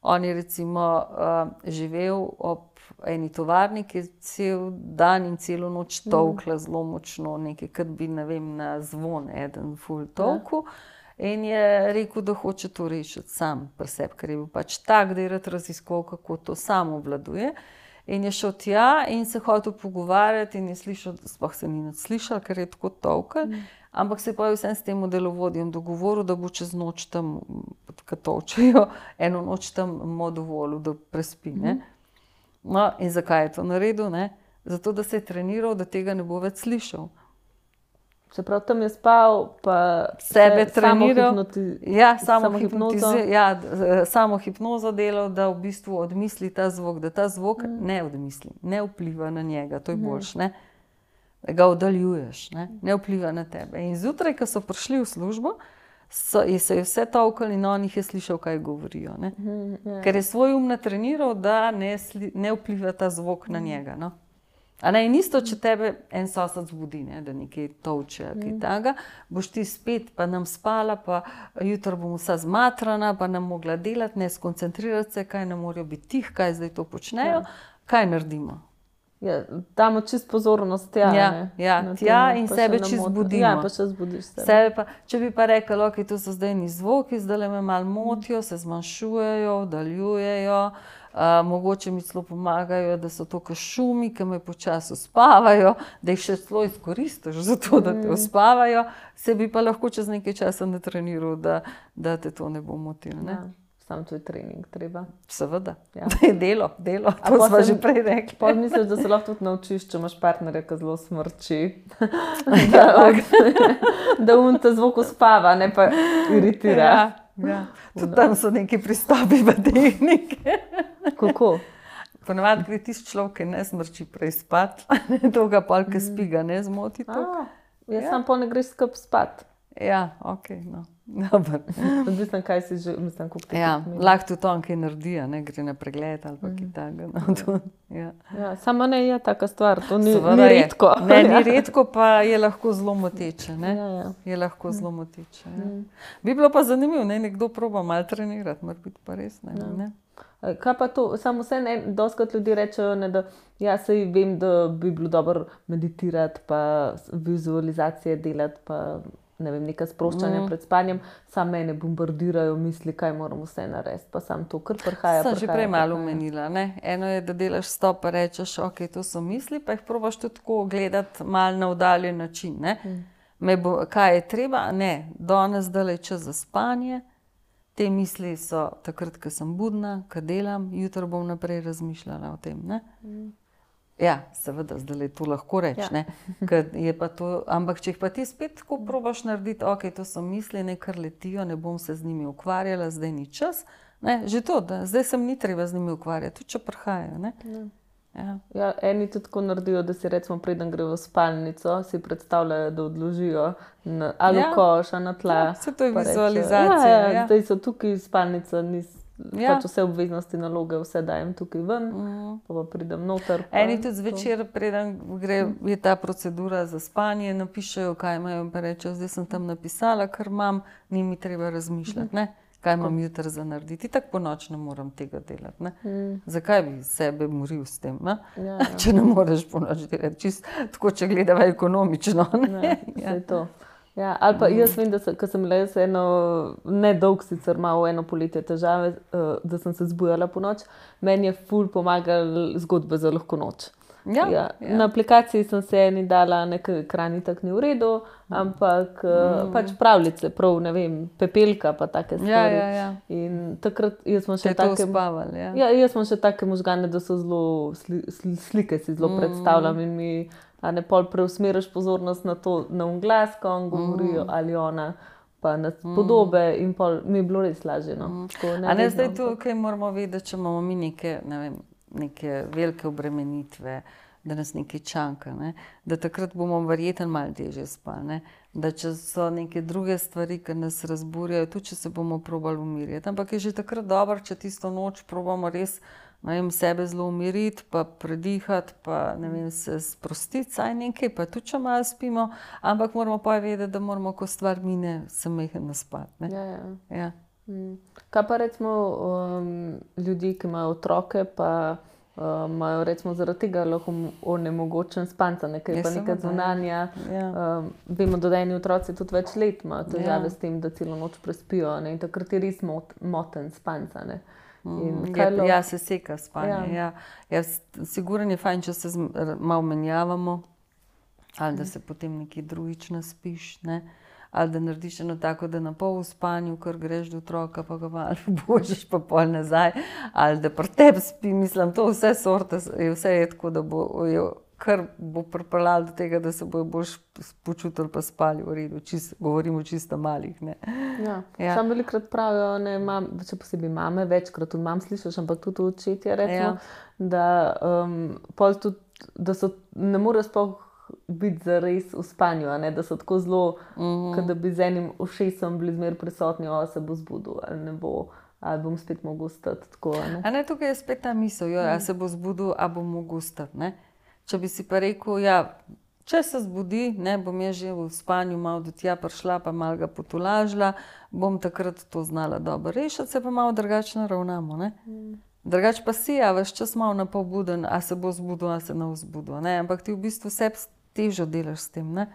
On je recimo uh, živel ob eni tovarni, ki je cel dan in celo noč tolkla mm. zelo močno, nekaj, kot bi, ne vem, na zvon eden ful tolku. Ja. In je rekel, da hoče to rešiti sam pri sebi, ker je bil pač tak, da je rad raziskoval, kako to sam obvladuje. In je šel tja in se hotel pogovarjati in je slišal, sploh se ni nič slišal, ker je tako tolkel, mm. ampak se je pa vsem s tem delovodjem dogovoril, da bo čez noč tam, kad tolčejo, eno noč tam mu dovolil, da prespi, ne. Mm. No, in zakaj je to naredil, ne? Zato, da se je treniral, da tega ne bo več slišal. Se pravi, tam je spal, pa sebe treniral. Ja, samo hipnozo. Ja, samo hipnozo delal, da v bistvu odmisli ta zvok, da ta zvok mm. ne odmisli, ne vpliva na njega, to je boljš, ne? Da ga oddaljuješ, ne? Ne vpliva na tebe. In zjutraj, ko so prišli v službo, So, je se je vse tolkal in on jih je slišal, kaj govorijo. Ne? Mm, yeah. Ker je svoj um natreniral, da ne, sli, ne vpliva ta zvok mm. na njega. No? A ne, in isto, če tebe en sosed zbudi, ne, da nekaj tolče, mm. kaj taga, boš ti spet, pa nam spala, pa jutro bom vsa zmatrana, pa nam mogla delati, ne skoncentrirati se, kaj ne morajo biti tih, kaj zdaj to počnejo, yeah. kaj naredimo. Ja, damo čist pozornost tja, ja, ne? Ja, tja in sebe čist zbudimo. Ja, pa še zbudiš sebe. sebe pa, če bi pa rekel, ok, to so zdaj ni zvoki, zdaj me malo motijo, se zmanjšujejo, oddaljujejo, uh, mogoče mi celo pomagajo, da so to kot šumi, ki me počasi uspavajo, da jih še celo izkoristiš za to, da te uspavajo, se bi pa lahko čez nekaj časa natreniral, da, da te to ne bo motil, ne? Ja. Sam to je trening, treba. Seveda. Ja. Delo, delo, to smo že prej rekli. Pa misliš, da se lahko tudi naučiš, če imaš partnerja, ki zelo smrči. da da um te zvok uspava, ne pa iritira. Ja, ja. Tudi tam so neki pristopi v tehnike. Kako? Ponavadi gre tisti človek, ki ne smrči prej spat, to ga polke spiga ne zmoti. A, jaz ja. sam pol ne greš skup spat. Ja, ok, no. Odvisno, kaj si že, mislim, kako ti Ja, pomeni. lahko tudi on kaj naredi, a ne gre na pregled ali pa kaj takega. No, to, ja. Ja, samo ne je taka stvar, to ni, Seveda ni je. redko. Ne, ni redko, pa je lahko zelo moteče. Ne? Ja, ja. Je lahko zelo moteče. Ja. Bi bilo pa zanimivo, ne? Nekdo proba malo trenirati, mora biti pa res. Ne? Ne? Kaj pa to, samo vse ne, doskrat ljudi rečejo, ne, da ja, saj vem, da bi bilo dobro meditirati, pa vizualizacije delati, pa ne vem, neka sproščanja mm. pred spanjem, sam mene bombardirajo misli, kaj moram vse narediti, pa sam to kar prihaja. Sem že prej malo omenila, ne? Eno je, da delaš stop, pa rečeš, ok, to so misli, pa jih probaš tudi tako gledati malo na oddaljen način, ne? Mm. Me bo, kaj je treba? Ne, danes dala je čas za spanje, te misli so takrat, ko sem budna, ko delam, jutro bom naprej razmišljala o tem, ne? Mm. Ja, seveda, zdaj to lahko reči, ja. Ne? Je pa to, ampak če jih pa ti spet tako probaš narediti, ok, to so misli, nekaj letijo, ne bom se z njimi ukvarjala, zdaj ni čas, ne? Že to, da zdaj sem ni treba z njimi ukvarjati, tudi če prihajajo, ne? Ja. Ja. Ja, eni tudi tako naredijo, da si recimo preden gre v spalnico, si predstavljajo, da odložijo na, ali ja. v koš, ali na tla. Ja, vse to je vizualizacija. Ja, ja, ja. Zdaj so tukaj spalnica, nis, ja. pač vse obveznosti, naloge, vse dajem tukaj ven, mm. pa, pa pridem noter. Pa, eni tudi zvečer, preden gre, je ta procedura za spanje, napišejo, kaj imajo, pa rečejo, zdaj sem tam napisala, kar imam, ni mi treba razmišljati, ne? Kaj imam jutri za narediti. Tako po noč ne moram tega delati. Ne? Mm. Zakaj bi sebe moril s tem, ja, ja. Če ne moreš po noč delati? Čist, tako, če gledava ekonomično. Ne? Ja, ja. To. Ja, ali pa jaz vem, da se, ko sem le eno, ne dolg sicer malo eno poletje težave, da sem se zbujala po noč, meni je ful pomagal zgodbe za lahko noč. Ja, ja. Ja. Na aplikaciji sem se eni dala, nekaj ekran tak ni v redu, ampak mm. pač pravljice, prav, ne vem, Pepelka pa take stvari. Ja, ja, ja. In takrat jaz sem še take... Uspaval, ja. Ja, jaz sem še take možgane, da so zelo, sli, sli, slike si zelo mm. predstavljam in mi, a ne pol preusmeriš pozornost na to, na un glas, ko on govorijo, mm. ali ona, pa na podobe mm. in pol mi je bilo res lažje, no. Mm. Tako, ne a ne vedno, zdaj tu, kaj moramo vedeti, če imamo mi neke, ne vem, neke velike obremenitve, da nas nekaj čaka, ne? Da takrat bomo verjetno malo težje spali, ne? Da če so neke druge stvari, ki nas razburjajo, tudi če se bomo probali umiriti. Ampak je že takrat dobro, če tisto noč probamo res, ne vem, sebe zelo umiriti, pa predihati, pa ne vem, se sprostiti, saj nekaj, pa tudi če malo spimo, ampak moramo pa vedeti, da moramo, ko stvar mine, se mehen naspati, ne? Ja, ja. Ja. Kaj pa recimo um, ljudi, ki imajo otroke, pa uh, imajo recimo zaradi tega lahko onemogočen spanca, nekaj pa nekaj zunanja. Ja. Um, vemo, da eni otroci tudi več let imajo težave ja. s tem, da celo noč prespijo, ne? In takrat je res mot, moten spanca. Ne? In ja, lo... ja, se seka spanje. Ja. Ja. Ja, sigurno je fajn, če se malo menjavamo, ali da se potem nekaj drugič naspiš, ne? Ali da narediš eno tako, da na pol v spanju, kar greš do otroka, pa ga malo božiš, pa pol nazaj, ali da pri tebi spi, mislim, to vse sorte, je vse je tako, da bo, je, kar bo pripeljalo do tega, da se bojo boš počutili pa spali v redu, čist, govorimo čisto malih, ne. Ja, ja. Sam velikrat pravijo, ne, mam, če posebej mame, večkrat tudi mam slišaš, ampak tudi očetje recimo, ja. da um, pol tudi, da so, ne morejo sploh biti zares v spanju, a ne, da so tako zelo, mm-hmm. kot da bi z enim ušesom bili zmer prisotni, o, se bo zbudil, ali ne bo, ali bom spet mogel stati tako, a ne. A ne, tukaj je spet ta misel, jo, mm. a se bo zbudil, a bom mogel stati, ne. Če bi si pa rekel, ja, če se zbudi, ne, bom jaz že v spanju malo do tja prišla, pa malo ga potolažila, bom takrat to znala dobro rešiti, se pa malo drugačno ravnamo, ne. Mm. Drugač pa si, a veš čas malo napol buden, a se bo zbudil, a se ne vzbudil, ne, ampak ti v bistvu sebi težo delaš s tem, ne?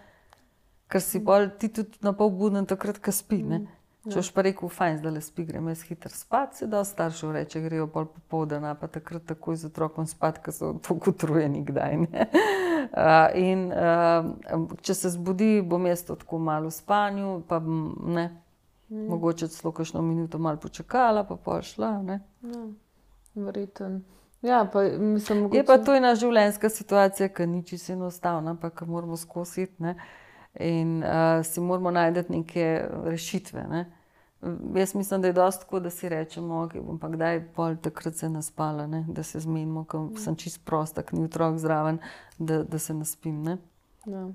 Ker si bolj, ti tudi napol buden takrat, ko spi, ne? Če boš pa rekel, fajn, zdaj le spi, grem jaz hitro spat, se dosti staršev reče, grejo pol popoldan, pa takrat takoj z otrokom spat, ker so tako utrujeni kdaj, ne? Uh, in uh, če se zbudi, bom jaz to tako malo v spanju, pa ne, mm. mogoče celo kakšno minuto malo počakala, pa pol šla, ne? Ja, verjetno. Ja, pa mislim, mogoče... Je pa to ena življenjska situacija, ki ni čisto enostavna, pa ki moramo skozi iti, ne? In uh, si moramo najti neke rešitve, ne? Jaz mislim, da je dosti tako, da si rečemo, ok, bom pa kdaj pol takrat se naspala, ne? Da se zmenimo, ko sem čist prosta, ko ni otrok zraven, da, da se naspim, ne? Ja.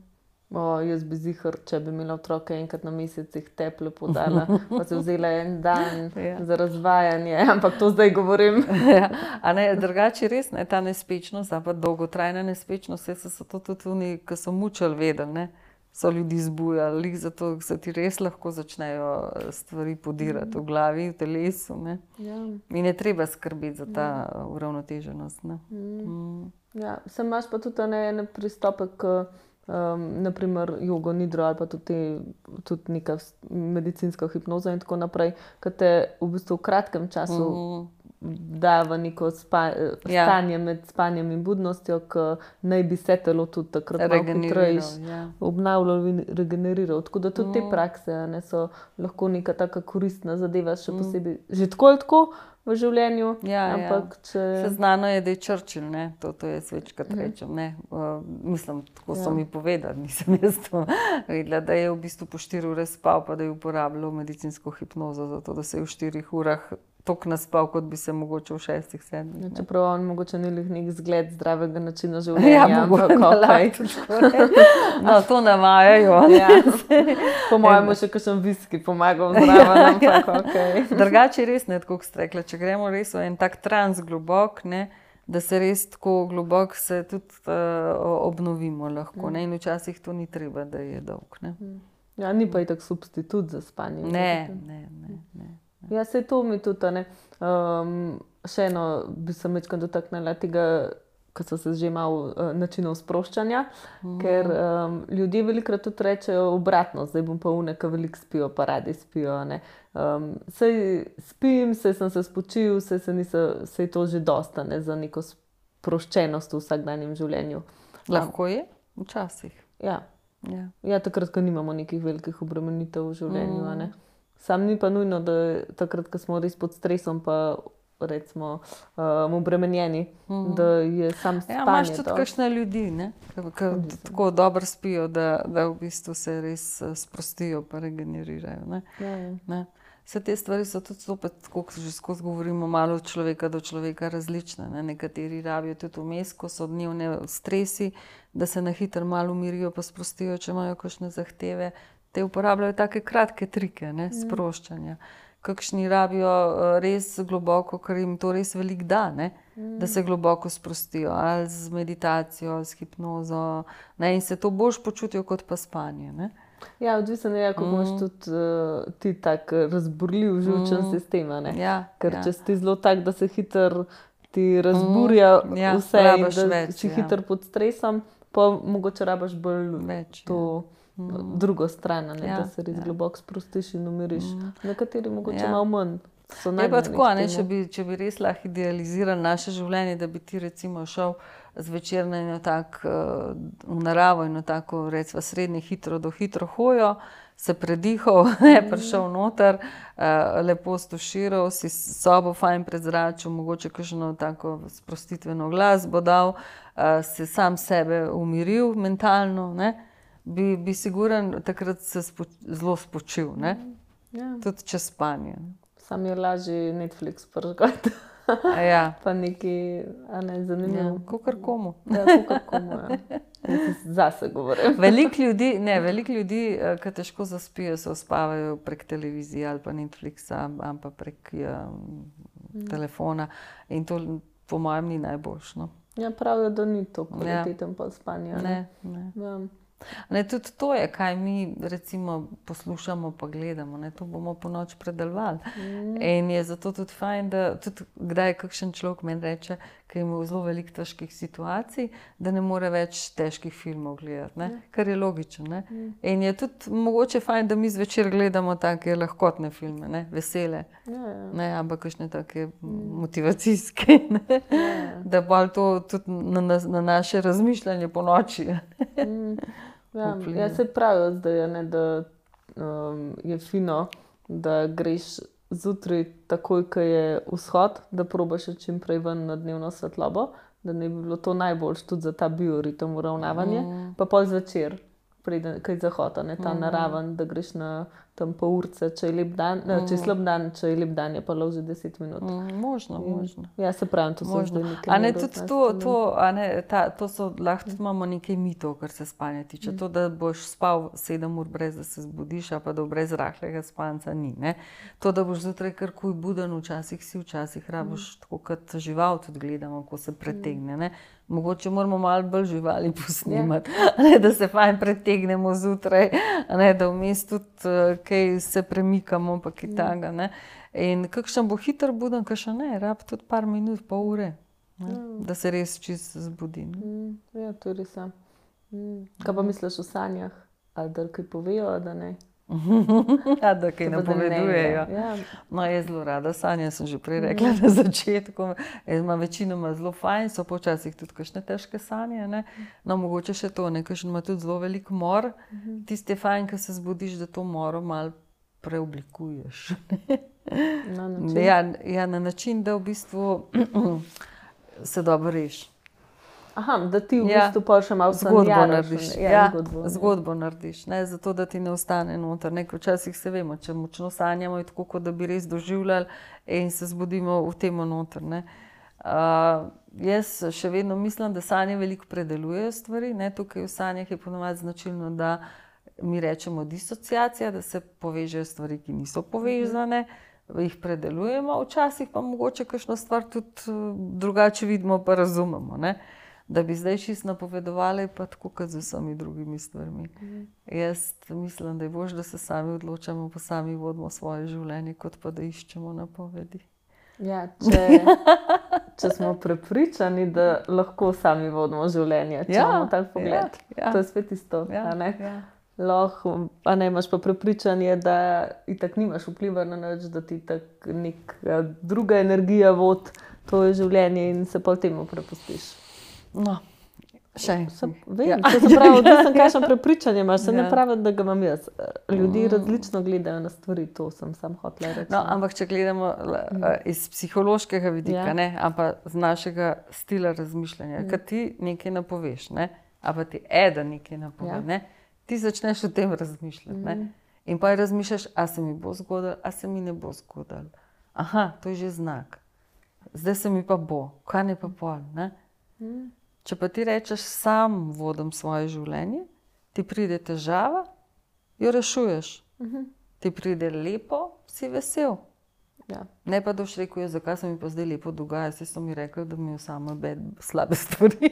O, jaz bi zihar, če bi imela otroke enkrat na mesec, jih teple podala, pa se vzela en dan Ja. za razvajanje, ampak to zdaj govorim. Ja, a ne, drugače res, ne, ta nespečnost, pa dolgotrajna nespečnost, saj so to tudi oni, ki so mučili, vedeli, ne, so ljudi zbujali, lih zato se ti res lahko začnejo stvari podirati v glavi, v telesu, ne. Ja. In je treba skrbeti za ta uravnoteženost, ne. Mm. Ja, sem imaš pa tudi ne, ene pristope k Um, naprimer jogo, nidro ali pa tudi, tudi neka medicinska hipnoza in tako naprej, ki te v bistvu v kratkem času mm. da v neko spa, Ja. stanje med spanjem in budnostjo, ki naj bi se telo tudi takrat malo hitreje ja. obnavljalo in regeneriralo. Tako da tudi te prakse a ne, so lahko neka taka koristna zadeva, še posebej že tako ali tako v življenju, Ja, ampak če... Se znano je, da je Churchill, ne, to, to jaz večkrat rečem, ne, uh, mislim, tako so Ja. mi povedali, nisem jaz to vedela, da je v bistvu po štiri ure spal, pa da je uporabljal medicinsko hipnozo, zato da se je v štirih urah toliko naspal, kot bi se mogoče v šestih, sedmih. Ja, ne. čeprav on mogoče ni lih nek zgled zdravega načina življenja, Ja, ampak mogoče okej. tudi tako reči. No, to navajajo. ne. Ja. Po mojem bo še kakšen viski pomagal zraven, ampak okej. Drugače je res, ne, tako kot ste rekla, če gremo res v en tak trans globok, ne, da se res tako globok se tudi uh, obnovimo lahko, ne, in včasih to ni treba, da je dolg, ne. Ja, ni pa itak substitut za spanje. Ne, ne, ne, ne. Ja, se to mi tudi, a ne. Um, še eno bi se mečkam dotaknila tega, ko so se že malo uh, načinov sproščanja, mm. ker um, ljudje velikokrat tudi rečejo obratno, zdaj bom pa une, ki veliko spijo, pa radi spijo, a ne. Um, sej spim, sej sem se spočil, sej, se nisa, sej to že dosta, ne, za neko sproščenost v vsakdanjem življenju. Lahko je, včasih. Ja. Ja. Ja, takrat, ko nimamo nekih velikih obremenitev v življenju, a ne. Sam ni pa nujno, da je takrat, ko smo res pod stresom, pa recimo um, obremenjeni, mm. da je sam spanje. Ja, imaš tudi to. kakšne ljudi, ne, ki tako dobro spijo, da, da v bistvu se res eh, sprostijo pa regenerirajo, ne. Ja, ja. Ne. Vse te stvari so tudi zopet, tako kot že skozi govorimo, malo od človeka do človeka različne, ne. Nekateri rabijo tudi vmes, ko so dnevne stresi, da se na hitro malo umirijo pa sprostijo, če imajo kakšne zahteve. Te uporabljajo take kratke trike, ne, sproščanja. Kakšni rabijo uh, res globoko, ker jim to res veliko da, ne, da se globoko sprostijo, ali z meditacijo, ali z hipnozo, ne, in se to boljše počutijo kot pa spanje, ne. Ja, odvisno je, kako imaš tudi uh, ti tak razburljiv živčen sistem, a ne. Ja, Ker ja. če si ti zelo tak, da se hitro ti razburja ja, vse in rabiš da več, si ja. hitro pod stresom, pa mogoče rabiš bolj Več, to drugo stran, a ne, Ja, da se res ja. globoko sprostiš in umiriš. Nekateri mogoče Ja. malo manj. So Je pa nagnjeni tako, k a ne, temu. če bi, če bi res lahko idealizirali naše življenje, da bi ti recimo šel zvečer na eno tak, uh, v naravo, eno tako, recimo srednje hitro do hitro hojo, se predihal, ne, prišel noter, uh, lepo stuširal, si sobo fajn prezračil, mogoče kakšno tako sprostitveno glasbo dal, uh, si sam sebe umiril mentalno, ne, bi, bi siguren takrat se spo, zelo spočil, ne, Ja. tudi čez spanje. Sam je lažje Netflix pržgati, A ja. pa neki, a ne, Ja, zanimivo. kakor komu. Ja, kakor komu, ja. Jaz zase govorim. Veliko ljudi, ne, veliko ljudi, eh, ki težko zaspijo, se uspavajo prek televizije ali pa Netflixa ali pa prek um, telefona in to po mojem ni najboljše, no. Ja, pravijo, da ni to kvaliteten pa spanje. a Ne, ne. Ja. Ne, tudi to je, kaj mi recimo poslušamo pa gledamo, ne, to bomo po noč predelovali. Mm. In je zato tudi fajn, da tudi kdaj kakšen človek meni reče, ki ima zelo veliko težkih situacij, da ne more več težkih filmov gledati, ne, kar je logično, ne. Mm. In je tudi mogoče fajn, da mi zvečer gledamo take lahkotne filme, ne, vesele, Ja, ja. ne, ampak kakšne take motivacijske, ne, Ja. da bolj to tudi na, na, na naše razmišljanje po noči. Ja, vpliva. ja, se pravijo zdaj, a ne, da um, je fino, da greš zjutraj takoj, ko je vzhod, da probaš čim prej ven na dnevno svetlobo, da ne bi bilo to najboljše tudi za ta bioritem uravnavanje, mm. pa pol zvečer, preden, ko je zahod, a ne, ta mm. naraven, da greš na tam pol urce, če je lep dan, mm. če je slab dan, če je lep dan, je pa loži deset minut. Mm, možno, In, možno. Ja, se pravim, to so zdaj nekaj. A ne, tudi to, to, a ne, ta, to so, lahko tudi imamo nekaj mitov, kar se spanja tiče. Mm. To, da boš spal sedem ur brez, da se zbudiš, a pa da brez rahlega spanca ni, ne. To, da boš zjutraj kar kuj buden, včasih si, včasih rabiš, mm. tako kot žival tudi gledamo, ko se pretegne, ne. Mogoče moramo malo bolj živali posnemati, yeah. ne, da se fajn pretegnemo zjutraj, ne, da vmes tudi uh, kaj se premikamo, pa kaj taga, ne. In kakšen bo hiter buden, kakšen ne, rab tudi par minut, pol ure, ne, mm. da se res čist zbudi. Mm. Ja, to je res. Mm. Kaj pa misliš o sanjah? Ali da kaj povejo, da ne? Ja, da kaj napovedujejo. Ja. No, jaz zelo rada sanja, sem že prej rekla mm. na začetku. Jaz imam večinoma zelo fajn, so počasih tudi kakšne težke sanje, ne. No, mogoče še to, ne, kakšen ima tudi zelo velik mor. Mm-hmm. Tisti je fajn, ko se zbudiš, da to moro malo preoblikuješ. Na način? Ja, ja, na način, da v bistvu se dobro reši. Aha, da ti v ja, bistvu pa še malo zgodbo narediš. Ja, ja, zgodbo, zgodbo narediš, ne, zato da ti ne ostane noter. Nekaj včasih se vemo, če močno sanjamo, je tako, kot da bi res doživljali in se zbudimo v temo noter, ne. Uh, jaz še vedno mislim, da sanje veliko predelujejo stvari, ne, tukaj v sanjah je ponovadi značilno, da mi rečemo disociacija, da se povežejo stvari, ki niso povezane, jih predelujemo, včasih pa mogoče kakšno stvar tudi drugače vidimo, pa razumemo, ne. Da bi zdaj čist napovedovali, pa tako kot z vsemi drugimi stvarmi. Mm. Jaz mislim, da je boljše, da se sami odločamo, pa sami vodimo svoje življenje, kot pa da iščemo napovedi. Ja, če, če smo prepričani, da lahko sami vodimo življenje, če ja, imamo tak pogled, ja, ja. To je spet isto. Ja, a ne? Ja. Lahko, a ne, imaš pa prepričanje, da itak nimaš vpliva na nič, da ti itak neka druga energija vod to je življenje in se pa temu prepustiš. No, še enkrat. Vem, ja. To se pravi, da sem kakšno prepričanje imaš, se ja. Ne pravi, da ga imam jaz. Ljudje mm. različno gledajo na stvari, to sem sam hotela reči. No, ampak če gledamo mm. iz psihološkega vidika, ja. Ne, ampak z našega stila razmišljanja, mm. kad ti nekaj napoveš, ne, ampak ti eden nekaj napove, ja. Ne, ti začneš o tem razmišljati, mm. ne, in pa razmišljaš, a se mi bo zgodilo, a se mi ne bo zgodilo. Aha, to je že znak. Zdaj se mi pa bo, kaj ne pa pol, ne. Mm. Če pa ti rečeš, sam vodim svoje življenje, ti pride težava, jo rešuješ. Uh-huh. Ti pride lepo, si vesel. Ja. Ne pa doš rekel, zakaj se mi pa zdaj lepo dogaja, saj so mi rekli, da mi je samo bed slabe stvari.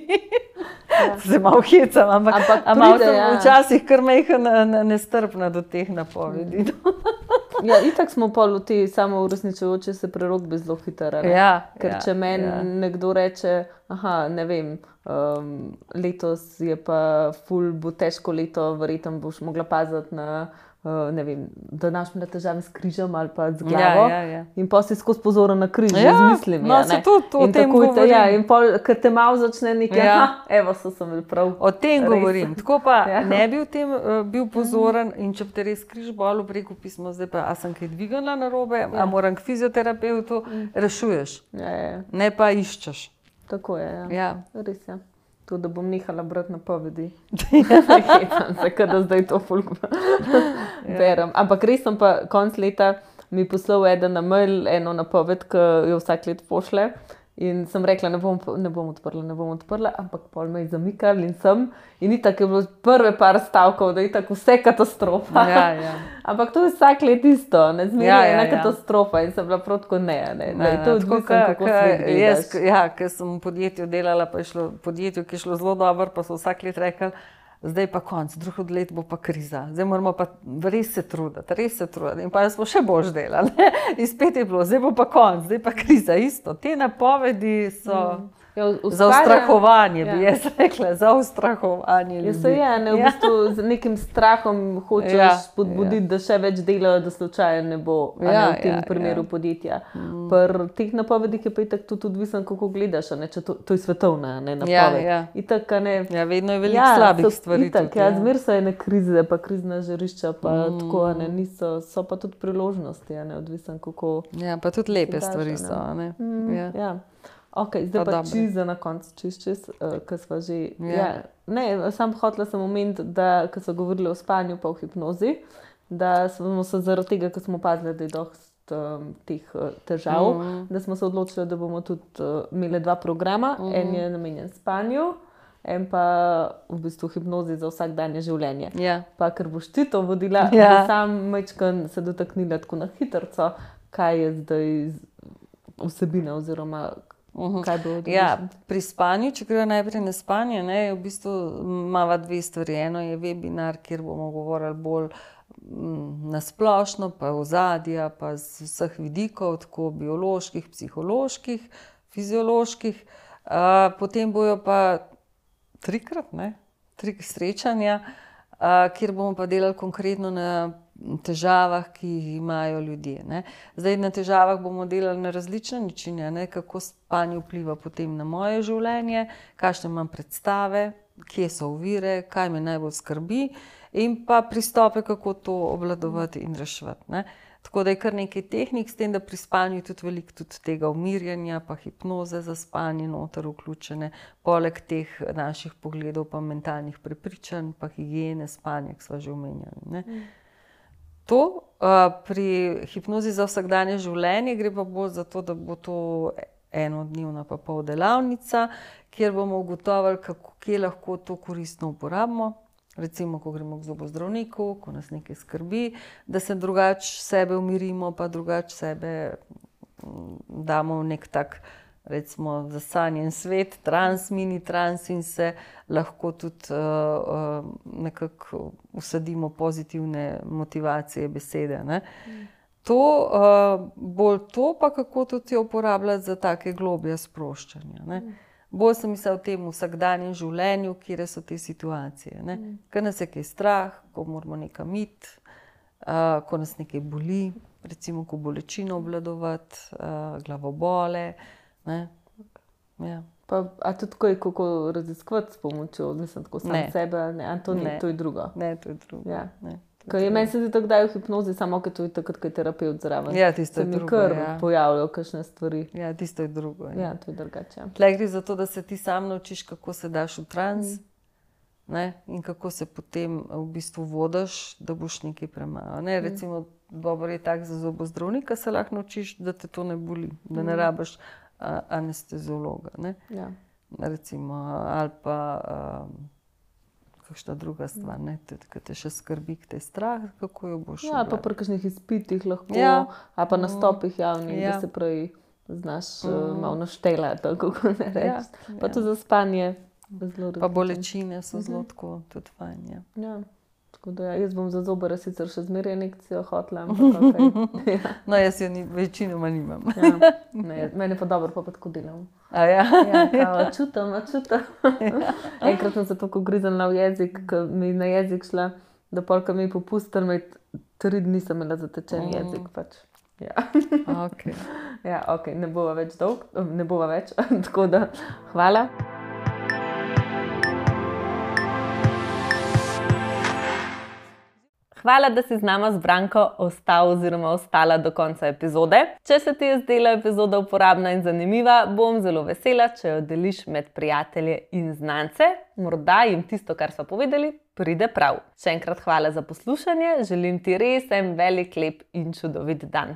Ja. Se malo hecam, ampak, ampak malo sem ja. Včasih kar mejka nestrpna do teh napovedi. Ja, itak smo pol v te samo uresničujoče se prerokbe zelo hitro. Ja, ker ja, če meni ja. Nekdo reče, aha, ne vem, um, letos je pa ful, bo težko leto, verjetno boš mogla paziti na, uh, ne vem, da imaš me težave s križem ali pa z glavo. Ja, ja, ja. In pa si skozi pozoren na križ, ja, z mislimi. No, se tudi o tem govorim. Ja, in pol, ker te malo začne nekaj, ja. Aha, evo, so sem bil prav. O tem res. Govorim. Tako pa ja. Ne bi v tem uh, bil pozoren in če bi te res križ bolel, preko pismo, zdaj pa, a sem kaj dvignila narobe, ja. A moram k fizioterapeutu, mm. Rešuješ. Ja, ja. Ne pa iščeš. Tako je, ja. Ja. Res je. Ja. To, da bom nehala brati napovedi. Hecam se, kada zdaj to folk berem. Ampak res sem pa konc leta mi poslal eden na mail, eno napoved, ki jo vsak let pošle. In sem rekla, ne bom, ne bom odprla, ne bom odprla, ampak pol me je zamikal in sem. In itak je bilo prve par stavkov, da je itak vse katastrofa. Ja, ja. Ampak to je vsak let isto, ne zmeraj ja, je ja, ena ja. Katastrofa in sem bila prav tako ne. ne, ne, ne, ne to je odvisno, kako svet gledaš. Ja, ker sem v podjetju delala, pa je šlo podjetju, ki je šlo zelo dobro, pa so vsak let rekli, zdaj pa konc, drugo let bo pa kriza. Zdaj moramo pa res se truditi, res se truditi. In pa smo še boljš delali. In spet je bilo, zdaj bo pa konc, zdaj pa kriza. Isto, te napovedi so mm. ja, za ustrahovanje, ja. Bi jaz rekla, za ustrahovanje ljudi. Ja, se je, ne, v ja. Bistvu z nekim strahom hočeš ja. Spodbuditi, ja. Da še več delajo, da slučajno ne bo, ja, a ne v tem ja, primeru ja. Podjetja. Mm. Pri teh napovedih je pa itak tudi odvisen, kako gledaš, a ne, če to, to je svetovna, ne, napoved. Ja, ja. Itak, a ne, ja, vedno je veliko ja, slabih stvari. Itak, tudi, ja, ja. Zmer so ene krize, pa krizna žarišča, pa mm. tako, a ne, niso, so pa tudi priložnosti, a ne, odvisen, kako... Ja, pa tudi lepe daš, stvari so, a ne. Mm, ja. Ja. Ok, zdaj pa, pa čist za na konc, čist, čist, uh, ko sva že... Ja. Ja, ne, sam hotela sem omeniti, da, ko so govorili o spanju pa o hipnozi, da smo se zaradi tega, ker smo opazili, da je dosti um, teh uh, težav, Mhm. da smo se odločili, da bomo tudi uh, imeli dva programa. En je namenjen spanju, en pa v bistvu hipnozi za vsakdanje življenje. Ja. Pa ker boš ti to vodila, Ja. da sam majčkeno se dotaknila tako na hitrco, kaj je zdaj z- vsebina oziroma kaj bo odlično. Ja, pri spanju, če gremo najprej na spanje, ne, je v bistvu imava dve stvari. Eno je webinar, kjer bomo govorili bolj mm, na splošno, pa ozadja, pa z vseh vidikov, tako bioloških, psiholoških, fizioloških. Uh, potem bojo pa trikrat, ne, tri srečanja, uh, kjer bomo pa delali konkretno na težavah, ki jih imajo ljudje. Ne. Zdaj, na težavah bomo delali na različne načine, ne, kako spanje vpliva potem na moje življenje, kakšne imam predstave, kje so ovire, kaj me najbolj skrbi in pa pristope, kako to obvladovati in reševati. Ne. Tako da je kar nekaj tehnik, s tem, da pri spanju je tudi veliko tudi tega umirjanja, pa hipnoze za spanje noter vključene, poleg teh naših pogledov pa mentalnih prepričanj, pa higiene spanja, ki sva že omenjali. Ne. To uh, pri hipnozi za vsakdanje življenje gre pa bolj za to, da bo to enodnevna pa pol delavnica, kjer bomo ugotovili, kako, kje lahko to koristno uporabimo. Recimo, ko gremo k zobozdravniku, ko nas nekaj skrbi, da se drugače sebe umirimo, pa drugače sebe mm, damo v nek tak, recimo, zasanjen svet, trans, mini trans in se lahko tudi uh, uh, nekako usadimo pozitivne motivacije besede. Ne? Mm. To, uh, bolj to pa kako tudi jo uporabljati za take globje sproščanja. Ne? Mm. Bolj sem mislila o tem vsakdanjem življenju, kjer so te situacije. Ne? Mm. Ker nas je kaj strah, ko moramo nekam iti, uh, ko nas nekaj boli, recimo ko bolečino obvladovati, uh, glavobole. Ne? Ja. Pa, a tudi kaj, kako raziskovati s pomočjo, mislim, tako sam Ne. sebe, ne, a to ni, Ne. to je drugo. Ne, to je drugo. Ja. Ne, to Ker je meni se zdi tako, da je v hipnozi, samo ker to je takrat, ko je terapevt zraven. Ja, tisto Se je mi drugo, kar ja. pojavljajo kakšne stvari. Ja, tisto je drugo. Ja. Ja, to je drugače. Tle gre za to, da se ti sam naučiš, kako se daš v trans, ne, in kako se potem v bistvu vodiš, da boš nekaj premagal. Ne, recimo, dobro je tak za zobozdravnika, se lahko naučiš, da te to ne boli, da ne rabiš a, anesteziologa. Ne. Ja. Recimo, ali pa um, kakšna druga stvar, ne, tudi, ki te še skrbi, ki te je strah, kako jo boš Ja, pa obvladal. pri kakšnih izpitih lahko, Ja. ali pa nastopih javnih, Ja. da se pravi znaš mm. malo naštelati, kako ne reči. Ja, Pa ja. tudi za spanje. Zelo Pa različno. bolečine so zelo tako, tudi fajn. Ja. Ja. Tako da ja, jaz bom za zobar sicer še zmeraj injekcijo hotla, ampak okay. ja. No, jaz jo ni, večinoma nimam. Ja. Ne, meni pa dobro, pa pa tako delam. A ja? Ja, kao, čutim, a čutim. Enkrat sem se tako griznila v jezik, ko mi je na jezik šla, da polka mi je popustil, me tri dni sem imela zatečen Mm. jezik. Pač. Ja. Okay. Ja, ok, ne bova več dolg, ne bova več, tako da hvala. Hvala, da si z nama z Branko ostal oziroma ostala do konca epizode. Če se ti je zdela epizoda uporabna in zanimiva, bom zelo vesela, če jo deliš med prijatelje in znance. Morda jim tisto, kar so povedali, pride prav. Še enkrat hvala za poslušanje, želim ti res en velik, lep in čudovit dan.